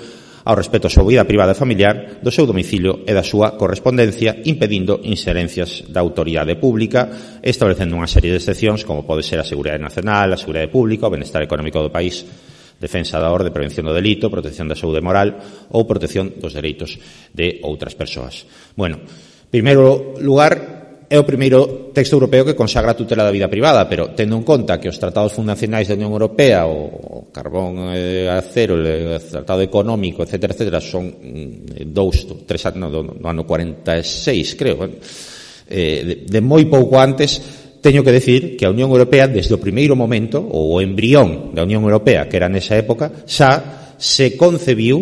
Speaker 2: ao respeto á súa vida privada e familiar, do seu domicilio e da súa correspondencia, impedindo inserencias da autoridade pública, establecendo unha serie de excepcións, como pode ser a seguridade nacional, a seguridade pública, o benestar económico do país, defensa da orde, prevención do delito, protección da saúde moral ou protección dos dereitos de outras persoas. Bueno, en primeiro lugar, é o primeiro texto europeo que consagra a tutela da vida privada, pero tendo en conta que os tratados fundacionais da Unión Europea, o carbón, acero, o tratado económico, etc., son do ano 46, creo, de moi pouco antes, teño que decir que a Unión Europea, desde o primeiro momento, ou o embrión da Unión Europea, que era nesa época, xa se concebiu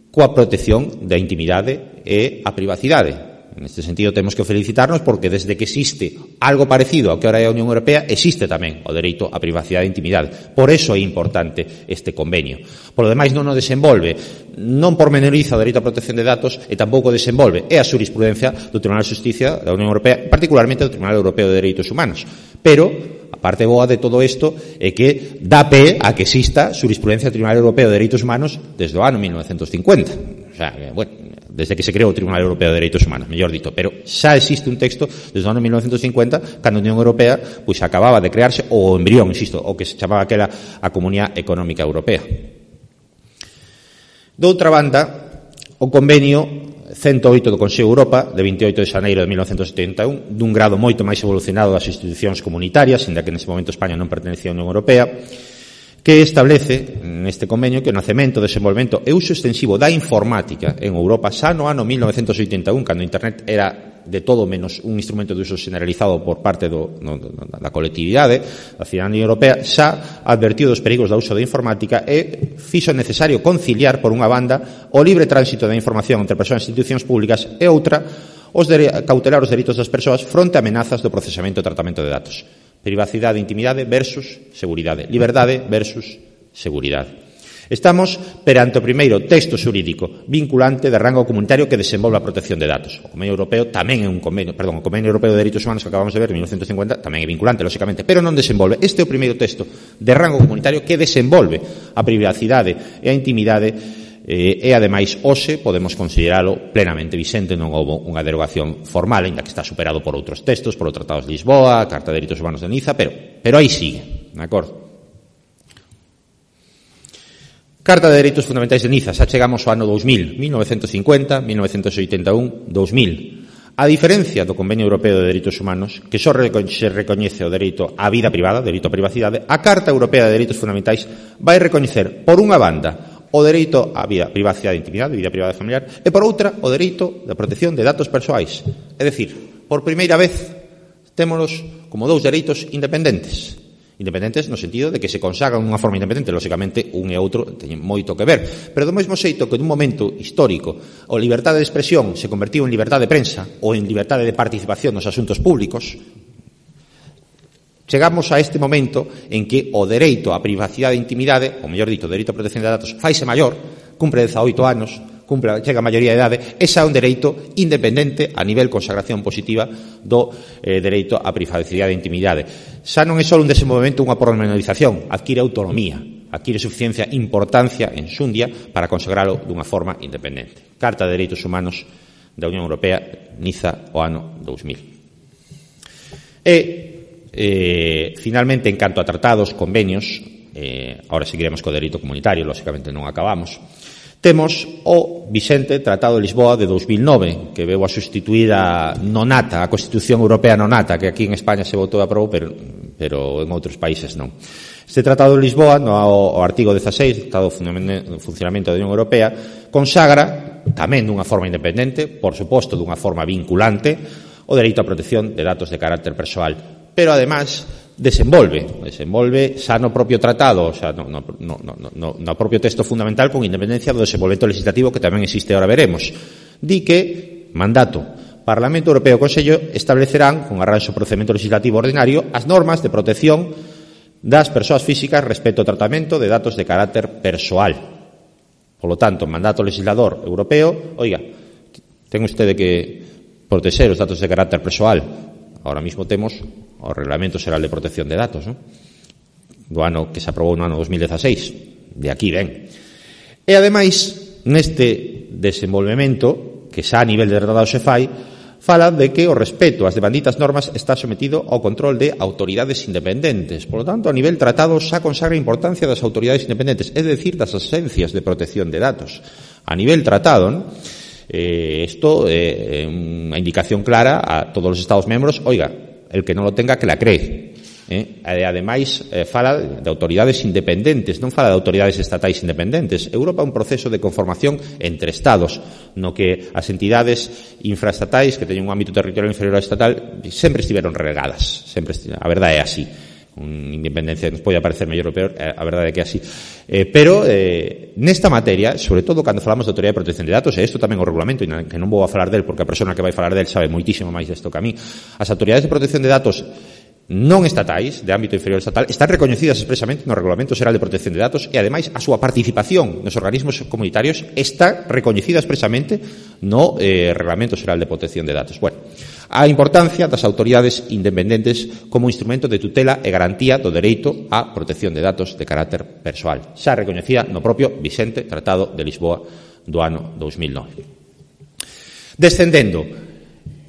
Speaker 2: coa protección da intimidade e a privacidade. En este sentido, temos que felicitarnos porque desde que existe algo parecido ao que ahora é a Unión Europea, existe tamén o dereito á privacidade e intimidade. Por eso é importante este convenio. Por lo demais, non o desenvolve, non pormenoriza o dereito á protección de datos e tampouco desenvolve. É a jurisprudencia do Tribunal de Xusticia da Unión Europea, particularmente do Tribunal Europeo de Dereitos Humanos. Pero a parte boa de todo isto é que dá pé a que exista jurisprudencia do Tribunal Europeo de Dereitos Humanos desde o ano 1950. O sea, bueno, desde que se creou o Tribunal Europeo de Dereitos Humanos, mellor dito, pero xa existe un texto desde o ano 1950, cando a Unión Europea pois acababa de crearse o embrión, insisto, o que se chamaba aquela a Comunidade Económica Europea. Doutra banda, o convenio 108 do Consello de Europa, de 28 de xaneiro de 1971, dun grado moito máis evolucionado das institucións comunitarias, inda que nese momento España non pertenecía á Unión Europea, que establece neste convenio que o nacemento, desenvolvemento e uso extensivo da informática en Europa xa no ano 1981, cando a Internet era de todo menos un instrumento de uso generalizado por parte da colectividade, da cidadanía europea, xa advertiu dos perigos do uso da informática e fixo necesario conciliar, por unha banda, o libre tránsito da información entre persoas e institucións públicas e outra, cautelar os dereitos das persoas fronte a amenazas do procesamento e tratamento de datos. Privacidade e intimidade versus seguridade. Liberdade versus seguridade. Estamos perante o primeiro texto xurídico vinculante de rango comunitario que desenvolve a protección de datos. O Convenio Europeo tamén é o Convenio Europeo de Dereitos Humanos que acabamos de ver en 1950 tamén é vinculante, lóxicamente, pero non desenvolve. Este é o primeiro texto de rango comunitario que desenvolve a privacidade e a intimidade e, ademais, hoxe podemos consideralo plenamente vixente, non houve unha derogación formal, ainda que está superado por outros textos, por o Tratado de Lisboa, a Carta de Dereitos Humanos de Niza, pero aí sigue, de acordo? Carta de Dereitos Fundamentais de Niza, xa chegamos ao ano 2000, 1950, 1981, 2000. A diferencia do Convenio Europeo de Dereitos Humanos, que só se recoñece o dereito á vida privada, o dereito á privacidade, a Carta Europea de Dereitos Fundamentais vai recoñecer, por unha banda, o dereito á vida, privacidade e intimidade, vida privada e familiar, e por outra, o dereito da protección de datos persoais. É dicir, por primeira vez, témonos como dous dereitos independentes. Independentes no sentido de que se consagran unha forma independente, lóxicamente un e outro teñen moito que ver, pero do mesmo xeito que nun momento histórico a liberdade de expresión se convertiu en liberdade de prensa ou en liberdade de participación nos asuntos públicos, chegamos a este momento en que o dereito á privacidade e intimidade, ou mellor dito, o dereito á protección de datos, faise maior, cumpre 18 anos, chega a maioría de idade, esa é un dereito independente a nivel consagración positiva do dereito á privacidade e intimidade. Xa non é só un desenvolvemento, unha pormenorización, adquire autonomía, adquire suficiencia importancia en xundia para consagralo dunha forma independente. Carta de Dereitos Humanos da Unión Europea, Niza, o ano 2000. Finalmente, en canto a tratados, convenios, ahora seguiremos co dereito comunitario, lóxicamente non acabamos, temos o vixente Tratado de Lisboa de 2009, que veu a sustituir a nonata, a Constitución Europea nonata, que aquí en España se votou e aprobou, pero en outros países non. Este Tratado de Lisboa, no artigo 16, Tratado de Funcionamento da Unión Europea, consagra, tamén dunha forma independente, por suposto dunha forma vinculante, o dereito á protección de datos de carácter persoal. Pero, además, desenvolve xa no propio tratado, xa no propio texto fundamental, con independencia do desenvolvemento legislativo que tamén existe, ahora veremos. Di que, mandato, Parlamento Europeo e Consello establecerán, con arranxo procedimento legislativo ordinario, as normas de protección das persoas físicas respecto ao tratamento de datos de carácter persoal. Polo tanto, mandato legislador europeo, oiga, ten usted que protexer os datos de carácter persoal. Ahora mismo temos o Reglamento Xeral de Protección de Datos, do ano que se aprobou no ano 2016. De aquí ven. E, ademais, neste desenvolvemento, que xa a nivel de tratado se fai, fala de que o respeto ás devanditas normas está sometido ao control de autoridades independentes. Por lo tanto, a nivel tratado xa consagra a importancia das autoridades independentes, é dicir, das agencias de protección de datos. A nivel tratado, isto é unha indicación clara a todos os Estados membros, oiga, el que non lo tenga que la cree. Ademais, fala de autoridades independentes, non fala de autoridades estatais independentes. Europa é un proceso de conformación entre Estados, no que as entidades infraestatais que teñen un ámbito territorial inferior ao estatal sempre estiveron relegadas. A verdade é así. Independencia nos pode parecer mellor ou peor, a verdade é que é así. Pero nesta materia, sobre todo cando falamos de autoridade de protección de datos, e isto tamén o regulamento, que non vou a falar del porque a persona que vai falar del sabe moitísimo máis desto que a mí, as autoridades de protección de datos non estatais, de ámbito inferior estatal, están recoñecidas expresamente no Regulamento Xeral de Protección de Datos e, ademais, a súa participación nos organismos comunitarios está recoñecida expresamente no Regulamento Xeral de Protección de Datos. Bueno, a importancia das autoridades independentes como instrumento de tutela e garantía do dereito á protección de datos de carácter persoal, xa recoñecida no propio vixente Tratado de Lisboa do ano 2009. Descendendo,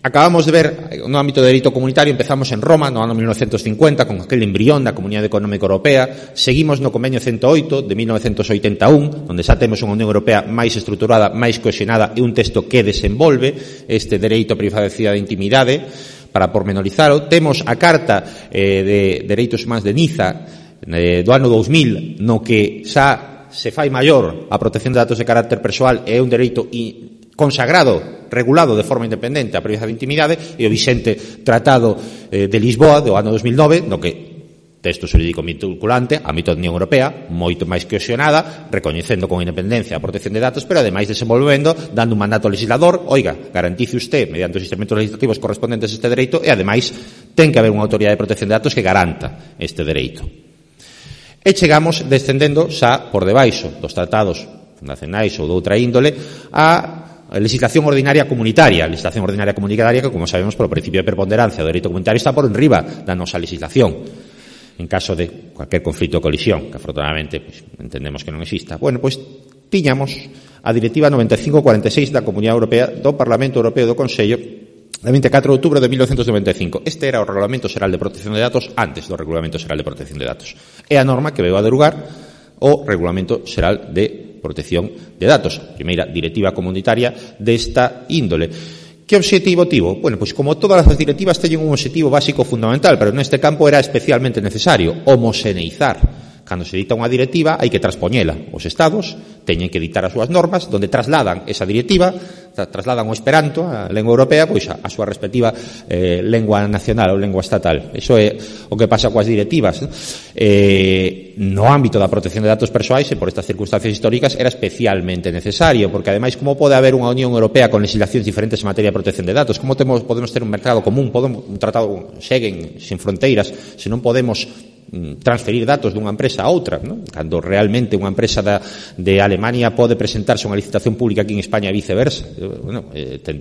Speaker 2: acabamos de ver no ámbito de dereito comunitario, empezamos en Roma no ano 1950 con aquel embrión da Comunidade Económica Europea, seguimos no Convenio 108 de 1981, onde xa temos unha Unión Europea máis estruturada, máis cohesionada e un texto que desenvolve este dereito á privacidade e intimidade. Para pormenorizalo, temos a Carta de Dereitos Humanos de Niza do ano 2000, no que xa se fai maior a protección de datos de carácter persoal e é un dereito consagrado, regulado de forma independente a privacidade e intimidade, e o vixente Tratado de Lisboa do ano 2009, no que texto xurídico vinculante, ámbito da Unión Europea, moito máis cohesionada, recoñecendo con independencia a protección de datos, pero ademais desenvolvendo, dando un mandato legislador, oiga, garantice usted, mediante os instrumentos legislativos correspondentes este dereito, e ademais ten que haber unha autoridade de protección de datos que garanta este dereito. E chegamos descendendo xa por debaixo dos tratados fundacionais ou de outra índole a legislación ordinaria comunitaria. A legislación ordinaria comunitaria que, como sabemos, polo principio de preponderancia do dereito comunitario está por enriba da nosa legislación en caso de cualquier conflito ou colisión, que afortunadamente pues, entendemos que non exista. Bueno, pois tiñamos a Directiva 9546 da Comunidade Europea do Parlamento Europeo do Consello de 24 de outubro de 1995. Este era o Regulamento Xeral de Protección de Datos antes do Regulamento Xeral de Protección de Datos. É a norma que veu a derogar o Regulamento Xeral de Protección de Datos, a primeira directiva comunitaria desta índole. Que obxectivo tivo? Bueno, pois como todas as directivas teñen un obxectivo básico fundamental, pero neste campo era especialmente necesario homoxeneizar. Cando se dita unha directiva, hai que transpoñela. Os Estados teñen que dictar as súas normas, donde trasladan esa directiva, trasladan o esperanto, a lengua europea, pois a súa respectiva lengua nacional ou lengua estatal. Iso é o que pasa coas directivas. No ámbito da protección de datos persoais, e por estas circunstancias históricas, era especialmente necesario, porque ademais, como pode haber unha Unión Europea con legislacións diferentes en materia de protección de datos? Como podemos ter un mercado común, un tratado Schengen sin fronteiras, se non podemos transferir datos dunha empresa a outra, non? Cando realmente unha empresa de Alemania pode presentarse unha licitación pública aquí en España e viceversa. Bueno,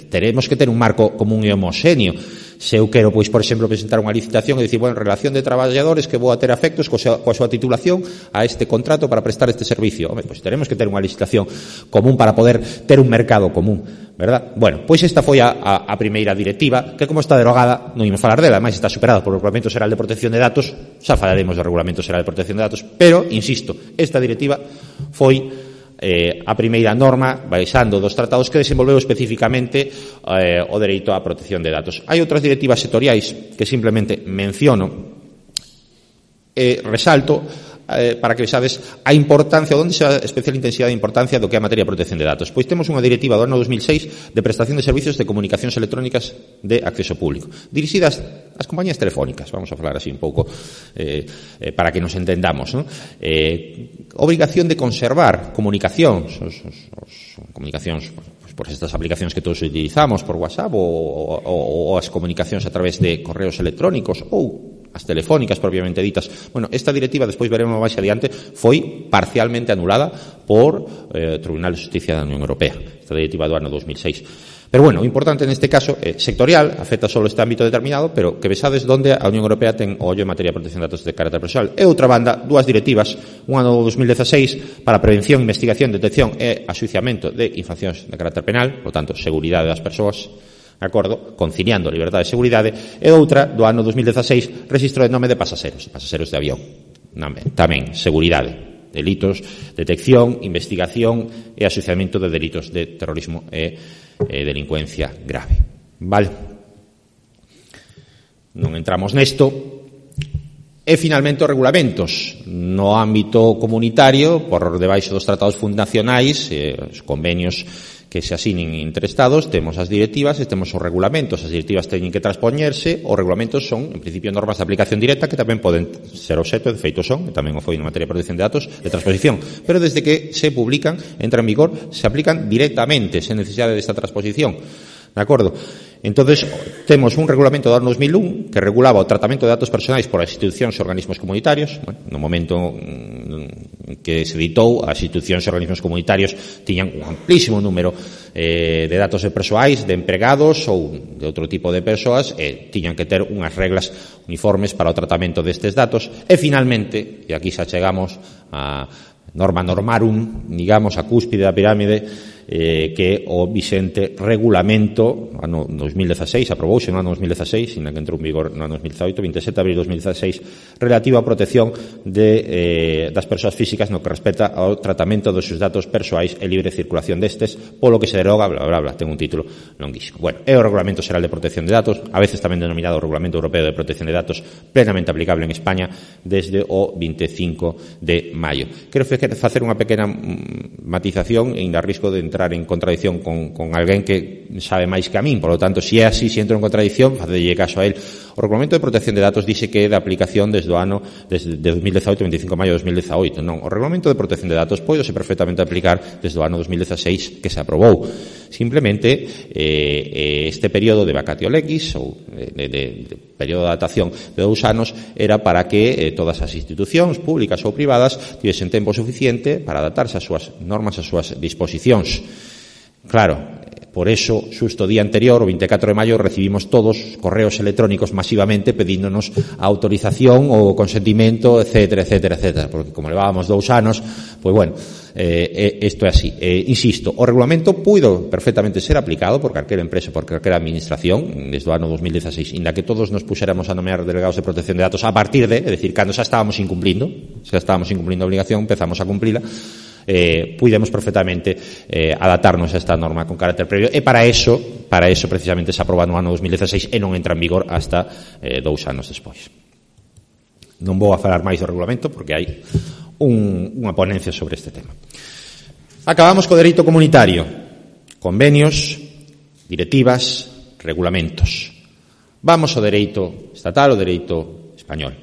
Speaker 2: teremos que ter un marco común e homoxéneo. Se eu quero, pois, por exemplo, presentar unha licitación e dicir, bueno, en relación de traballadores que vou a ter afectos coa súa titulación a este contrato para prestar este servicio. Home, pois teremos que ter unha licitación común para poder ter un mercado común, verdad? Bueno, pois esta foi a primeira directiva, que como está derogada, non imos falar dela, ademais está superada por o Regulamento Xeral de Protección de Datos, xa falaremos do Regulamento Xeral de Protección de Datos, pero, insisto, esta directiva foi a primeira norma baixando dos tratados que desenvolveu especificamente o dereito á protección de datos. Hai outras directivas sectoriais que simplemente menciono e resalto para que vexades a importancia, onde se a especial intensidade de importancia do que é a materia de protección de datos. Pois temos unha directiva do ano 2006 de prestación de servicios de comunicacións electrónicas de acceso público, dirixidas ás compañías telefónicas, vamos a falar así un pouco para que nos entendamos, ¿no? Obrigación de conservar comunicacións, comunicacións por estas aplicacións que todos utilizamos por WhatsApp ou as comunicacións a través de correos electrónicos ou as telefónicas propiamente ditas. Bueno, esta directiva, despois veremos máis adiante, foi parcialmente anulada por Tribunal de Justicia da Unión Europea, esta directiva do ano 2006. Pero bueno, o importante neste caso é sectorial, afecta só este ámbito determinado, pero que vexades onde a Unión Europea ten o ollo en materia de protección de datos de carácter persoal. E outra banda, dúas directivas, unha no 2016 para prevención, investigación, detección e axuiciamento de infraccións de carácter penal, por tanto, seguridade das persoas, acordo, conciliando liberdade e seguridade, e outra do ano 2016, registro de nome de pasaxeros de avión, tamén seguridade, delitos, detección, investigación e asociamento de delitos de terrorismo e delincuencia grave. Vale? Non entramos nesto. E finalmente os regulamentos no ámbito comunitario, por debaixo dos tratados fundacionais, os convenios que se asinen entre Estados, temos as directivas e temos os regulamentos. As directivas teñen que transpoñerse, os regulamentos son, en principio, normas de aplicación directa que tamén poden ser obxecto, de feito son, que tamén o foi en materia de protección de datos, de transposición. Pero desde que se publican, entran en vigor, se aplican directamente, sen necesidade desta transposición. De acordo? Entonces, temos un regulamento do ano 2001 que regulaba o tratamento de datos personais por as institucións e organismos comunitarios. Bueno, no momento que se editou, as institucións e organismos comunitarios tiñan un amplísimo número de datos persoais, de empregados ou de outro tipo de persoas, e tiñan que ter unhas reglas uniformes para o tratamento destes datos. E finalmente, e aquí xa chegamos a norma normarum, digamos, a cúspide da pirámide, que o vixente regulamento ano 2016, aprobouse no ano 2016, sina que entrou en vigor no ano 2018, 27 de abril de 2016, relativo á protección das persoas físicas no que respecta ao tratamento dos seus datos persoais e libre circulación destes, polo que se deroga, bla, bla, bla, ten un título longuísimo. Bueno, é o Regulamento Xeral de Protección de Datos, a veces tamén denominado Regulamento Europeo de Protección de Datos, plenamente aplicable en España desde o 25 de maio. Quero facer unha pequena matización e ainda risco de entrar en contradicción con alguén que sabe máis que a min, por lo tanto, se é así, se entro en contradicción, facelle caso a él. O Regulamento de Protección de Datos dice que é de aplicación desde 2018, 25 de maio de 2018. Non, o Regulamento de Protección de Datos pódese perfectamente aplicar desde o ano 2016 que se aprobou. Simplemente este período de vacatio legis ou de período de adaptación de 2 anos era para que todas as institucións públicas ou privadas tivesen tempo suficiente para adaptarse ás súas normas, ás súas disposicións. Claro, por eso, xusto o día anterior, o 24 de maio, recibimos todos correos electrónicos masivamente pedíndonos a autorización ou consentimento, etcétera, etcétera, etcétera. Porque como levábamos 2 anos, pois bueno, isto é así. Insisto, o regulamento puido perfectamente ser aplicado por calquera empresa, por calquera administración, desde o ano 2016, inda que todos nos puxéramos a nomear delegados de protección de datos a partir de, é dicir, cando xa estábamos incumplindo a obligación, empezamos a cumplila, puidemos perfectamente adaptarnos a esta norma con carácter previo e para eso precisamente se aproba no ano 2016 e non entra en vigor hasta 2 anos despois. Non vou a falar máis do regulamento porque hai unha ponencia sobre este tema. Acabamos co dereito comunitario, convenios, directivas, regulamentos. Vamos ao dereito estatal, ao dereito español.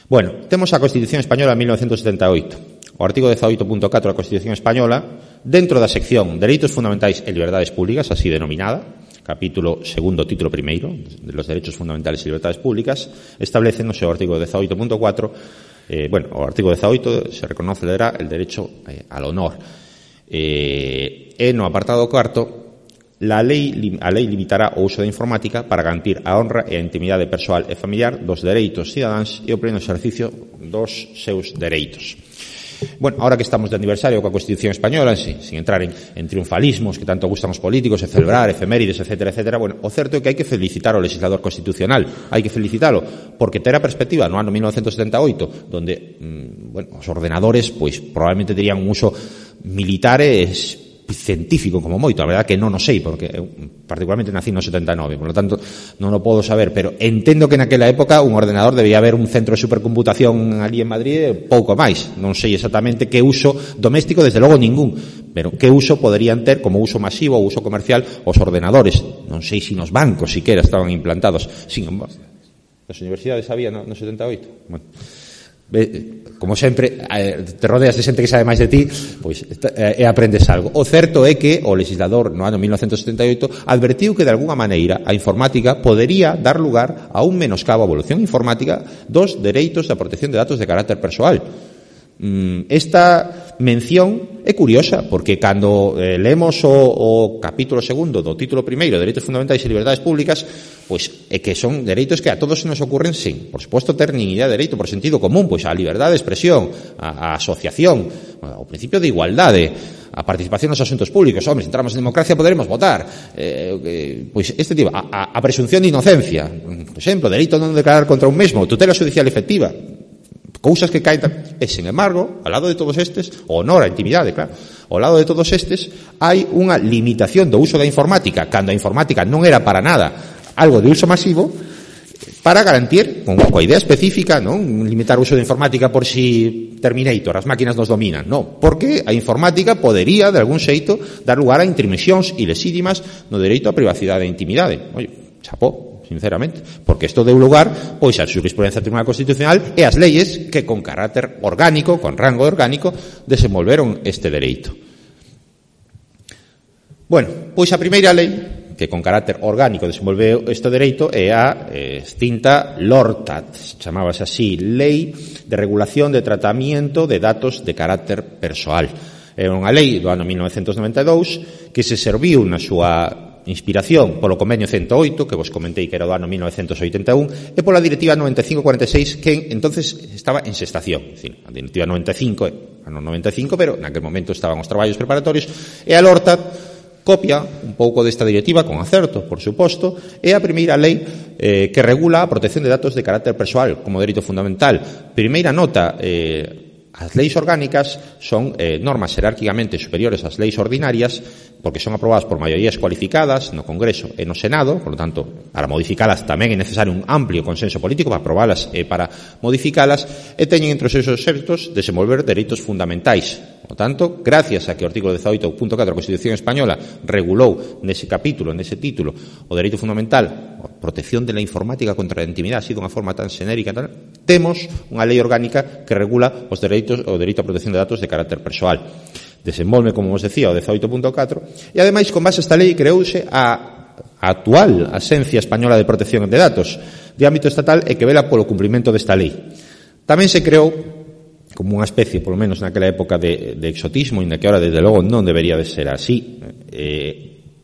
Speaker 2: Bueno, temos a Constitución Española de 1978. O artigo 18.4 da Constitución Española, dentro da sección Dereitos Fundamentais e Liberdades Públicas, así denominada, capítulo segundo, título primeiro, de los Derechos Fundamentales e Libertades Públicas, establece no seu artigo 18.4, o artigo 18 se reconocerá el derecho al honor. E no apartado cuarto, a lei limitará o uso da informática para garantir a honra e a intimidade persoal e familiar dos dereitos cidadáns e o pleno exercicio dos seus dereitos. Bueno, ahora que estamos de aniversario coa Constitución Española, sin entrar en triunfalismos que tanto gustan os políticos, e celebrar efemérides, etcétera, etcétera, bueno, o certo é que hai que felicitar ao legislador constitucional, hai que felicitalo, porque ter a perspectiva no ano 1978, donde, os ordenadores, pois, probablemente terían un uso militar científico como moito, a verdade que non o sei porque eu particularmente nací no 79, por lo tanto non o podo saber, pero entendo que naquela época un ordenador debía haber un centro de supercomputación ali en Madrid, pouco máis, non sei exactamente que uso doméstico, desde logo ningún, pero que uso poderían ter como uso masivo ou uso comercial os ordenadores, non sei se nos bancos siquera estaban implantados, sin embargo nas universidades había no 78, bueno, como sempre te rodeas de xente que sabe máis de ti, pois aprendes algo. O certo é que o legislador no ano 1978 advertiu que de alguna maneira a informática podería dar lugar a un menoscabo a evolución informática dos dereitos da protección de datos de carácter persoal. Esta mención é curiosa porque cando leemos o capítulo segundo do título primeiro, Dereitos Fundamentais e Liberdades Públicas, pois é que son dereitos que a todos nos ocurren sin, por suposto, ter nin idea de dereito por sentido común, pois a liberdade de expresión, a asociación, o principio de igualdade, a participación nos asuntos públicos. Hombre, se entramos en democracia poderemos votar, pois este tipo, a presunción de inocencia, por exemplo, dereito a non declarar contra un mesmo, tutela judicial efectiva, cousas que caen. E, sin embargo, ao lado de todos estes, o honor a intimidade, claro, ao lado de todos estes, hai unha limitación do uso da informática, cando a informática non era para nada algo de uso masivo, para garantir, coa idea específica, non limitar o uso da informática por si Terminator, as máquinas nos dominan, non, porque a informática podería, de algún xeito, dar lugar a intromisións ilesítimas no dereito á privacidade e intimidade. Oye, chapó, sinceramente, porque isto deu lugar pois a xurisprudencia do Tribunal Constitucional e as leyes que con carácter orgánico, con rango orgánico, desenvolveron este dereito. Bueno, pois a primeira lei que con carácter orgánico desenvolveu este dereito é a extinta LORTAT, chamábase así, Lei de Regulación de Tratamiento de Datos de Carácter Persoal. É unha lei do ano 1992 que se serviu na súa inspiración polo convenio 108, que vos comentei que era do ano 1981, e pola directiva 9546, que entonces estaba en xestación. A directiva 95, ano 95, pero naquel momento estaban os traballos preparatorios, e a LORTAT copia un pouco desta directiva, con acerto, por suposto, é a primeira lei que regula a protección de datos de carácter persoal como dereito fundamental. Primeira nota, as leis orgánicas son normas xerárquicamente superiores ás leis ordinarias porque son aprobadas por maiorías cualificadas no Congreso e no Senado, por lo tanto, para modificalas tamén é necesario un amplio consenso político para aprobalas e para modificalas, e teñen entre os seus obxectos desenvolver dereitos fundamentais. Por lo tanto, gracias a que o artículo 18.4 da Constitución Española regulou nese capítulo, nese título, o dereito fundamental, a protección de la informática contra a intimidade, así dunha forma tan xenérica, temos unha lei orgánica que regula os dereitos, o dereito a protección de datos de carácter persoal. Desenvolve, como vos decía, o 18.4, e ademais, con base a esta lei, creouse a actual Axencia Española de Protección de Datos de ámbito estatal e que vela polo cumprimento desta lei. Tamén se creou como unha especie, polo menos naquela época, de exotismo, e na que ahora, desde logo, non debería de ser así,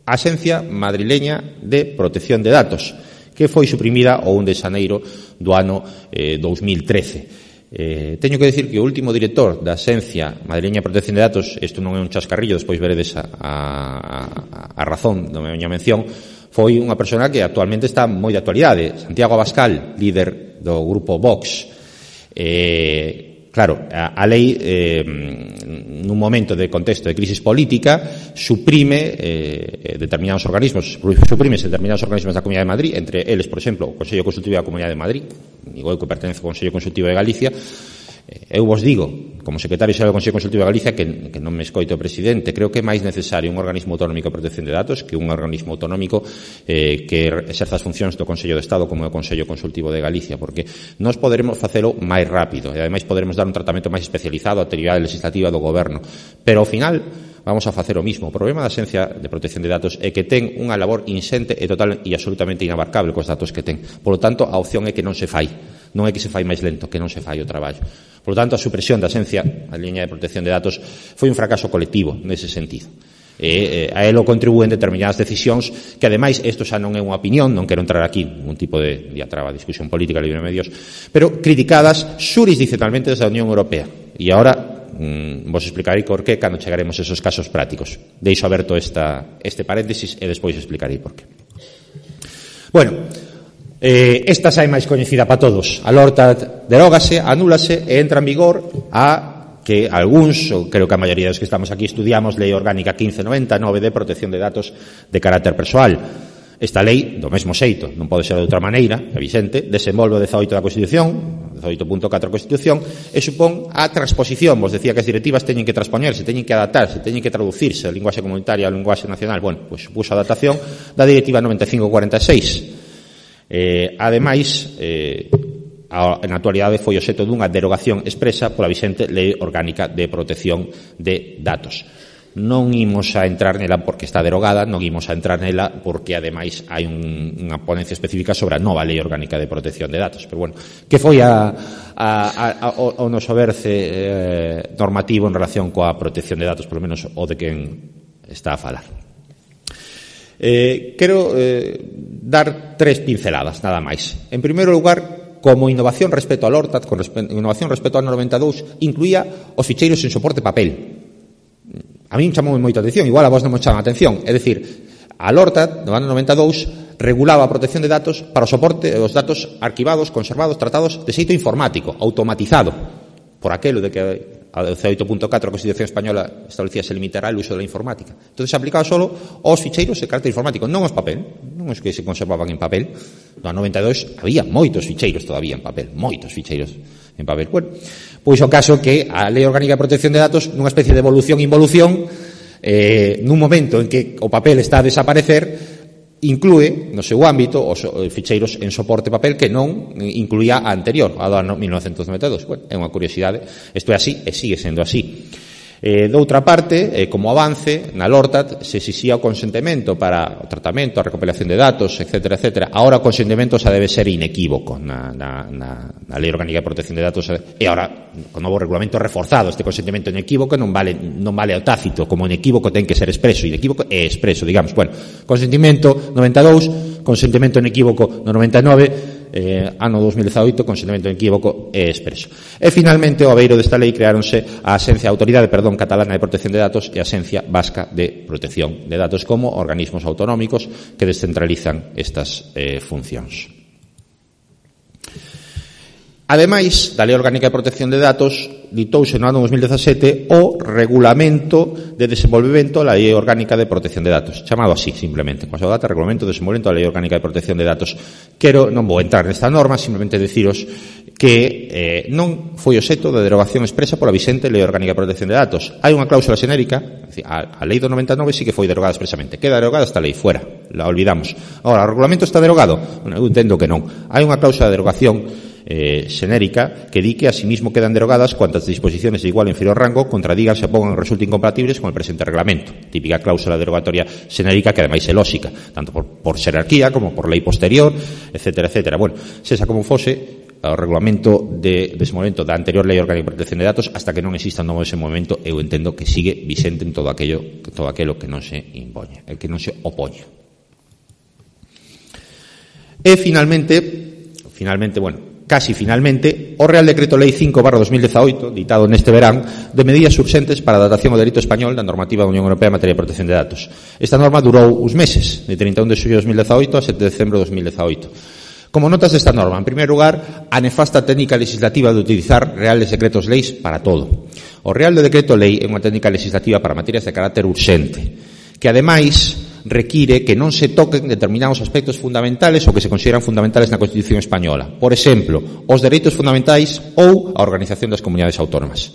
Speaker 2: a Axencia Madrileña de Protección de Datos, que foi suprimida o 1 de xaneiro do ano 2013. Teño que decir que o último director da Axencia Madrileña de Protección de Datos, isto non é un chascarrillo, despois veredes a razón da miña mención, foi unha persona que actualmente está moi de actualidade, Santiago Abascal, líder do grupo Vox. Claro, a lei, nun momento de contexto de crisis política, suprime determinados organismos da Comunidade de Madrid, entre eles, por exemplo, o Consello Consultivo da Comunidade de Madrid, digo eu que pertenece ao Consello Consultivo de Galicia. Eu vos digo, como secretario xeral do Consello Consultivo de Galicia, que non me escoito o presidente, creo que é máis necesario un organismo autonómico de protección de datos que un organismo autonómico que exerza as funcións do Consello de Estado como é o Consello Consultivo de Galicia, porque nós poderemos facelo máis rápido e ademais poderemos dar un tratamento máis especializado á actividade legislativa do Goberno, pero ao final vamos a facer o mismo. O problema da Axencia de Protección de Datos é que ten unha labor inxente e total e absolutamente inabarcable cos datos que ten. Por lo tanto, a opción é que non se fai. Non é que se fai máis lento, que non se fai o traballo. Por lo tanto, a supresión da Axencia, a liña de protección de datos, foi un fracaso colectivo nese sentido. A elo contribúen determinadas decisións que, ademais, isto xa non é unha opinión, non quero entrar aquí ningún tipo de diatraba, discusión política, libre de medios, pero criticadas xurisdiccionalmente desde a Unión Europea. E agora vos explicarei por qué cando chegaremos a esos casos prácticos. Deixo aberto este paréntesis e despois explicarei por qué. Bueno, esta xa é máis coñecida para todos. A LORTAD derógase, anúlase e entra en vigor a que algúns, ou creo que a maioría dos que estamos aquí estudiamos, Lei Orgánica 1599 de protección de datos de carácter persoal. Esta lei, do mesmo xeito, non pode ser de outra maneira, é vixente, desenvolve o 18 da Constitución, 18.4 da Constitución, e supón a transposición. Vos decía que as directivas teñen que transpoñerse, teñen que adaptarse, teñen que traducirse a linguaxe comunitaria a linguaxe nacional. Bueno, pois supuso a adaptación da Directiva 9546. Ademais, na actualidade foi obxecto dunha derogación expresa pola vixente Lei Orgánica de Protección de Datos. Non imos a entrar nela porque está derogada, non imos a entrar nela porque ademais hai unha ponencia específica sobre a nova Lei Orgánica de Protección de Datos. Pero bueno, que foi o noso verce normativo en relación coa protección de datos, polo menos o de quen está a falar. Quero dar tres pinceladas, nada máis. En primeiro lugar, como innovación respecto ao LORTAD, con innovación respecto ao 92, incluía os ficheiros en soporte papel. A mí me chamou moita atención, igual a vos non me chama a atención. É dicir, a LORTAD, no ano 92, regulaba a protección de datos para o soporte dos datos arquivados, conservados, tratados de xeito informático, automatizado, por aquelo de que a 18.4 a Constitución Española establecía se limitará o uso da informática. Entón, se aplicaba solo aos ficheiros de carácter informático, non os papel, non os que se conservaban en papel. No ano 92 había moitos ficheiros todavía en papel, moitos ficheiros en papel. Bueno, pois o caso que a Lei Orgánica de Protección de Datos, nunha especie de evolución-involución, nun momento en que o papel está a desaparecer, inclúe no seu ámbito os ficheiros en soporte papel que non incluía a anterior, a do ano 1992. Bueno, é unha curiosidade, isto é así e sigue sendo así. Doutra parte, como avance, na LORTAD se exixía o consentimento para o tratamento, a recopilación de datos, etc. Ahora o consentimento xa debe ser inequívoco na Lei Orgánica de Protección de Datos, e ahora, con novo regulamento reforzado, este consentimento inequívoco non vale ao tácito, como inequívoco ten que ser expreso, inequívoco é expreso, digamos. Bueno, consentimento 92, consentimento inequívoco no 99, ano 2018, consentimento inequívoco e expreso. E finalmente, ao abeiro desta lei, creáronse a Autoridade Catalana de Protección de Datos e a Axencia Vasca de Protección de Datos como organismos autonómicos que descentralizan estas funcións. Ademais da Lei Orgánica de Protección de Datos, ditouse no ano 2017 o Regulamento de Desenvolvemento da Lei Orgánica de Protección de Datos, chamado así, simplemente, coa súa data, Regulamento de Desenvolvemento da Lei Orgánica de Protección de Datos. Non vou entrar nesta norma, simplemente deciros que non foi obxecto de derogación expresa pola vixente Lei Orgánica de Protección de Datos. Hai unha cláusula xenérica, a Lei do 99 sí que foi derogada expresamente, queda derogada esta lei, fuera, la olvidamos. Agora, o regulamento está derogado? Eu entendo que non. Hai unha cláusula de derogación xenérica que di que asimismo quedan derogadas cuantas disposiciones de igual o inferior rango contradigan, se opongan o resulten incompatibles con el presente reglamento. Típica cláusula derogatoria xenérica que ademais é lóxica, tanto por xerarquía como por lei posterior, etcétera, etcétera. Bueno, sexa como fose, o regulamento de desenvolvemento da anterior Lei Orgánica de Protección de Datos, hasta que non exista un novo desenvolvemento, eu entendo que sigue vixente en todo aquelo que non se impoñe, que non se opoñe. E finalmente, bueno, casi finalmente, o Real Decreto Lei 5/2018, ditado neste verán, de medidas urxentes para a adaptación ao dereito español da normativa da Unión Europea en materia de protección de datos. Esta norma durou uns meses, de 31 de xullo de 2018 a 7 de decembro de 2018. Como notas desta norma, en primeiro lugar, a nefasta técnica legislativa de utilizar reales decretos leis para todo. O Real Decreto Lei é unha técnica legislativa para materias de carácter urxente, que ademais require que non se toquen determinados aspectos fundamentales ou que se consideran fundamentales na Constitución española. Por exemplo, os dereitos fundamentais ou a organización das comunidades autónomas.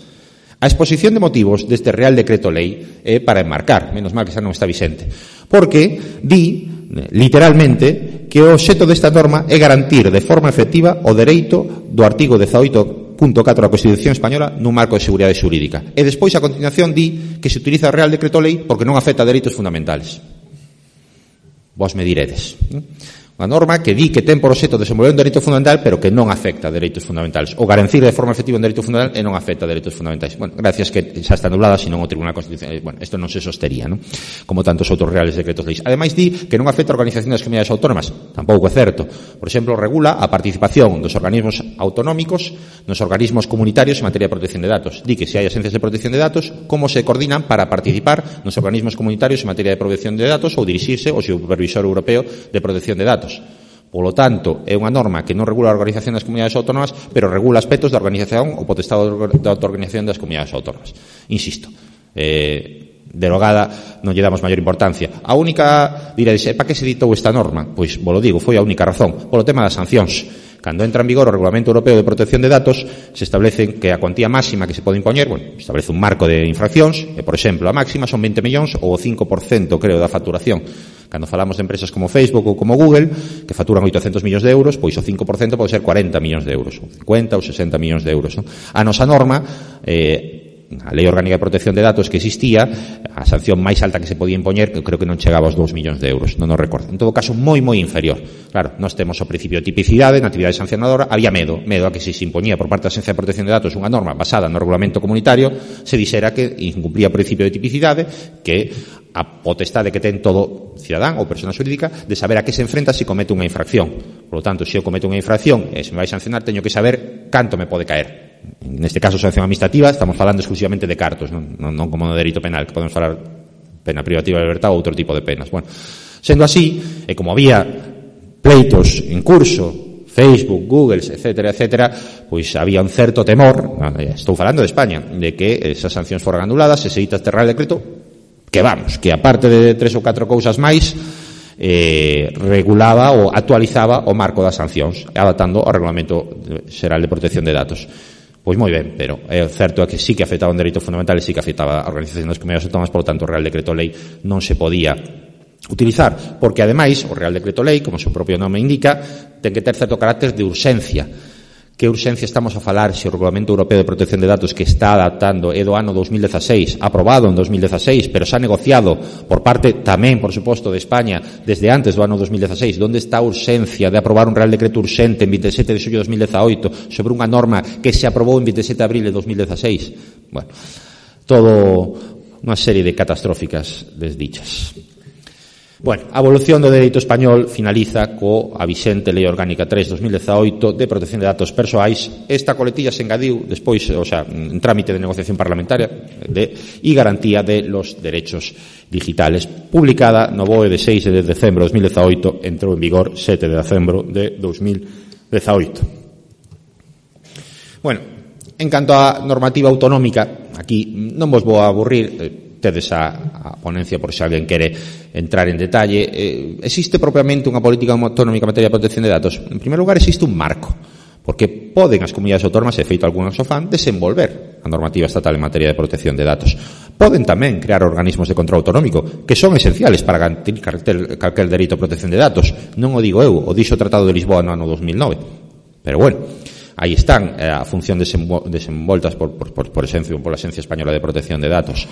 Speaker 2: A exposición de motivos deste Real Decreto Lei é para enmarcar, menos mal que xa non está vixente, porque di, literalmente, que o obxecto desta norma é garantir de forma efectiva o dereito do artigo 18.4 da Constitución española nun marco de seguridade xurídica. E despois, a continuación, di que se utiliza o Real Decreto Lei porque non afecta a dereitos fundamentales. Vos me diredes. Unha norma que di que ten por obxecto desenvolver un dereito fundamental, pero que non afecta a dereitos fundamentales. O garantir de forma efectiva un dereito fundamental e non afecta a dereitos fundamentais. Bueno, gracias que xa está anulada, senón o Tribunal Constitucional. Bueno, isto non se sostería, non? Como tantos outros reales decretos leis. Ademais, di que non afecta a organización das comunidades autónomas. Tampouco é certo. Por exemplo, regula a participación dos organismos autonómicos nos organismos comunitarios en materia de protección de datos. Di que se hai axencias de protección de datos, como se coordinan para participar nos organismos comunitarios en materia de protección de datos ou dirixirse ao supervisor europeo de protección de datos. Polo tanto, é unha norma que non regula a organización das comunidades autónomas, pero regula aspectos da organización ou potestado da autoorganización das comunidades autónomas. Insisto, derogada non lle damos maior importancia. A única, diredes, para que se ditou esta norma? Pois, vos lo digo, foi a única razón, polo tema das sancións. Cando entra en vigor o Regulamento Europeo de Protección de Datos, se establece que a cuantía máxima que se pode impoñer, bueno, establece un marco de infraccións, e, por exemplo, a máxima son 20 millóns ou o 5%, creo, da facturación. Cando falamos de empresas como Facebook ou como Google, que facturan 800 millóns de euros, pois o 5% pode ser 40 millóns de euros, ou 50 ou 60 millóns de euros. Non? A nosa norma, a Lei Orgánica de Protección de Datos que existía, a sanción máis alta que se podía impoñer, que creo que non chegaba aos 2 millóns de euros, non o recordo. En todo caso, moi inferior. Claro, nós temos o principio de tipicidade na actividade sancionadora, había medo a que se impoñía por parte da Axencia de Protección de Datos unha norma basada no regulamento comunitario, se dixera que incumplía o principio de tipicidade, que a potestade que ten todo cidadán ou persona xurídica de saber a que se enfrenta se comete unha infracción. Por lo tanto, se eu cometo unha infracción e se me vai sancionar, teño que saber canto me pode caer. Neste caso, sanción administrativa, estamos falando exclusivamente de cartos, non como no dereito penal, que podemos falar pena privativa de libertad ou outro tipo de penas. Bueno, sendo así, e como había pleitos en curso, Facebook, Google, etcétera, pois había un certo temor, estou falando de España, de que esas sancións foran anuladas, se se dita este Real Decreto, que vamos, que aparte de 3 ou 4 cousas máis, regulaba ou actualizaba o marco das sancións, adaptando ao Regulamento Xeral de Protección de Datos. Pois moi ben, pero é certo que sí que afectaba un dereito fundamental e sí que afectaba a organización das comunidades autónomas, por lo tanto o Real Decreto Lei non se podía utilizar, porque ademais o Real Decreto Lei, como o seu propio nome indica, ten que ter certo carácter de urxencia. Que urxencia estamos a falar se o Regulamento Europeo de Protección de Datos que está adaptando é do ano 2016, aprobado en 2016, pero xa negociado por parte tamén, por suposto, de España desde antes do ano 2016, onde está a urxencia de aprobar un Real Decreto urxente en 27 de xullo de 2018 sobre unha norma que se aprobou en 27 de abril de 2016? Bueno, todo unha serie de catastróficas desdichas. Bueno, a evolución do dereito español finaliza a vixente Lei Orgánica 3/2018 de protección de datos persoais. Esta coletilla se engadiu despois, en trámite de negociación parlamentaria e garantía de los derechos digitales, publicada no BOE de 6 de decembro de 2018, entrou en vigor 7 de decembro de 2018. Bueno, En canto á normativa autonómica, aquí non vos vou a aburrir, tedes a ponencia por se alguén quere entrar en detalle. Existe propiamente unha política autonómica en materia de protección de datos? En primeiro lugar, existe un marco, porque poden as comunidades autónomas, e feito algunhas o fan, desenvolver a normativa estatal en materia de protección de datos. Poden tamén crear organismos de control autonómico, que son esenciales para garantir calquer dereito a protección de datos. Non o digo eu, o dixo o Tratado de Lisboa no ano 2009. Pero bueno, aí están a función desenvoltas por la Axencia Española de Protección de Datos.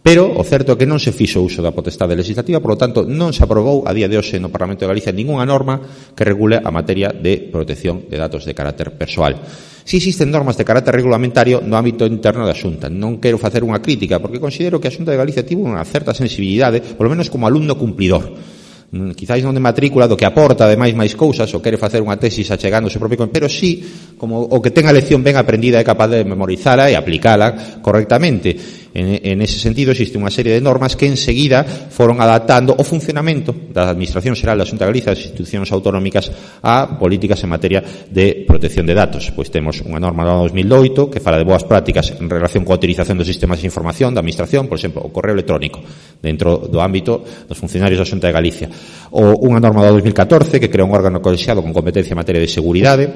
Speaker 2: Pero o certo é que non se fixo uso da potestade legislativa, por lo tanto, non se aprobou a día de hoxe no Parlamento de Galicia ningunha norma que regule a materia de protección de datos de carácter persoal. Si existen normas de carácter regulamentario no ámbito interno da Xunta. Non quero facer unha crítica, porque considero que a Xunta de Galicia tivo unha certa sensibilidade, polo menos como alumno cumplidor. Quizáis non de matrícula, do que aporta ademais máis cousas, ou quere facer unha tesis achegando o seu propio, pero sí, como o que ten a lección ben aprendida é capaz de memorizala e aplicala correctamente. En ese sentido, existe unha serie de normas que enseguida foron adaptando o funcionamento da Administración Xeral da Xunta de Galicia, das institucións autonómicas, a políticas en materia de protección de datos. Pois temos unha norma do ano 2008 que fala de boas prácticas en relación coa utilización dos sistemas de información da Administración, por exemplo, o correo electrónico, dentro do ámbito dos funcionarios da Xunta de Galicia. Ou unha norma do 2014 que crea un órgano colexiado con competencia en materia de seguridade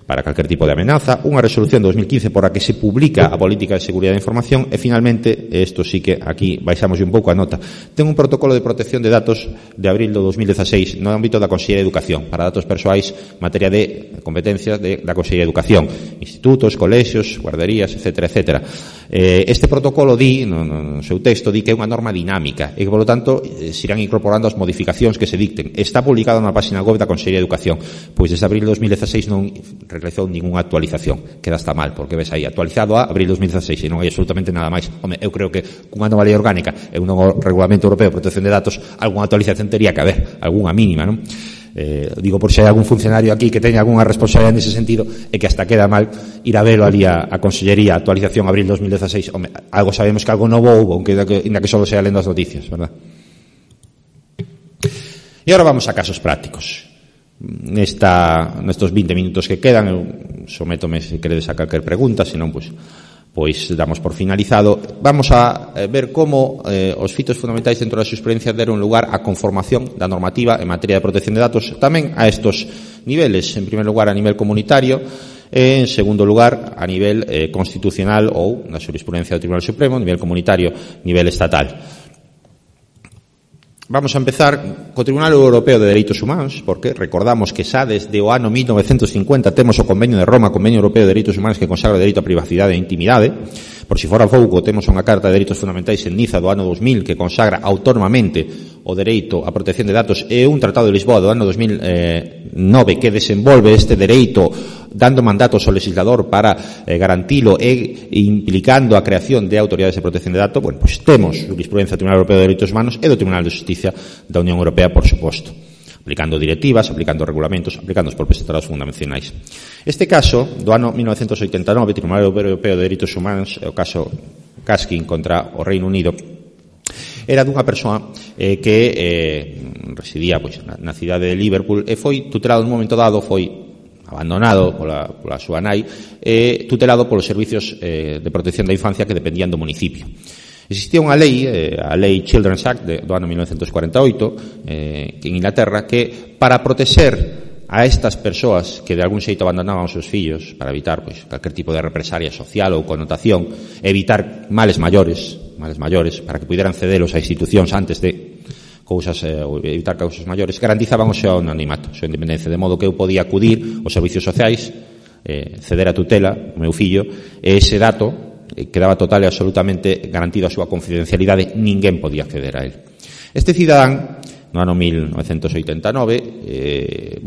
Speaker 2: para calquer tipo de amenaza, unha resolución de 2015 por a que se publica a política de seguridade da información e, finalmente, isto sí que aquí baixamos un pouco a nota, ten un protocolo de protección de datos de abril do 2016 no ámbito da Consellería de Educación para datos persoais, materia de competencias da Consellería de Educación, institutos, colexios, guarderías, etcétera. Este protocolo di, no seu texto, di que é unha norma dinámica e que, polo tanto, se irán incorporando as modificacións que se dicten. Está publicado na página web da Consellería de Educación, pois desde abril de 2016 non realizou ninguna actualización, queda hasta mal, porque ves aí, actualizado a abril 2016 e non hai absolutamente nada máis. Home, eu creo que cunha nova lei orgánica e un novo Regulamento Europeo de Protección de Datos, algunha actualización tería que haber, algunha mínima, non? Digo por se hai algún funcionario aquí que teña algunha responsabilidade nese sentido e que hasta queda mal ir a velo ali a Consellería, actualización abril 2016. Home, algo sabemos que algo novo houve, aunque ainda que solo sea lendo as noticias, verdad? E agora vamos a casos prácticos. Nestos 20 minutos que quedan, eu sométome se queredes a calquer pregunta, senón, pois damos por finalizado. Vamos a ver como os fitos fundamentais dentro da xurisprudencia deron lugar á conformación da normativa en materia de protección de datos, tamén a estos niveles, en primer lugar a nivel comunitario, e en segundo lugar a nivel constitucional ou na xurisprudencia do Tribunal Supremo, a nivel comunitario, nivel estatal. Vamos a empezar co Tribunal Europeo de Dereitos Humanos, porque recordamos que xa desde o ano 1950 temos o Convenio de Roma, Convenio Europeo de Dereitos Humanos, que consagra o dereito a privacidade e intimidade. Por si fora pouco, temos unha Carta de Dereitos Fundamentais en Niza do ano 2000 que consagra autónomamente o dereito a protección de datos e un Tratado de Lisboa do ano 2009 que desenvolve este dereito dando mandatos ao legislador para garantilo e implicando a creación de autoridades de protección de datos. Bueno, pois temos jurisprudencia do Tribunal Europeo de Dereitos Humanos e do Tribunal de Justicia da Unión Europea, por suposto, aplicando directivas, aplicando regulamentos, aplicando os propios tratados fundacionais. Este caso, do ano 1989, Tribunal Europeo de Dereitos Humanos, o caso Kaskin contra o Reino Unido, era dunha persoa que residía na cidade de Liverpool e foi tutelado nun momento dado, foi abandonado pola súa nai e tutelado polos servicios de protección da infancia que dependían do municipio. Existía unha lei, a Lei Children's Act do ano 1948, en Inglaterra, que para proteger a estas persoas que de algún xeito abandonaban os seus fillos para evitar calquer tipo de represalia social ou connotación, evitar males maiores, para que puderan cedelos a institucións antes de cousas, evitar causas maiores, garantizaban o seu anonimato, a súa independencia, de modo que eu podía acudir aos servicios sociais, ceder a tutela o meu fillo, e ese dato quedaba total e absolutamente garantido a súa confidencialidade, ninguén podía acceder a él. Este cidadán, no ano 1989,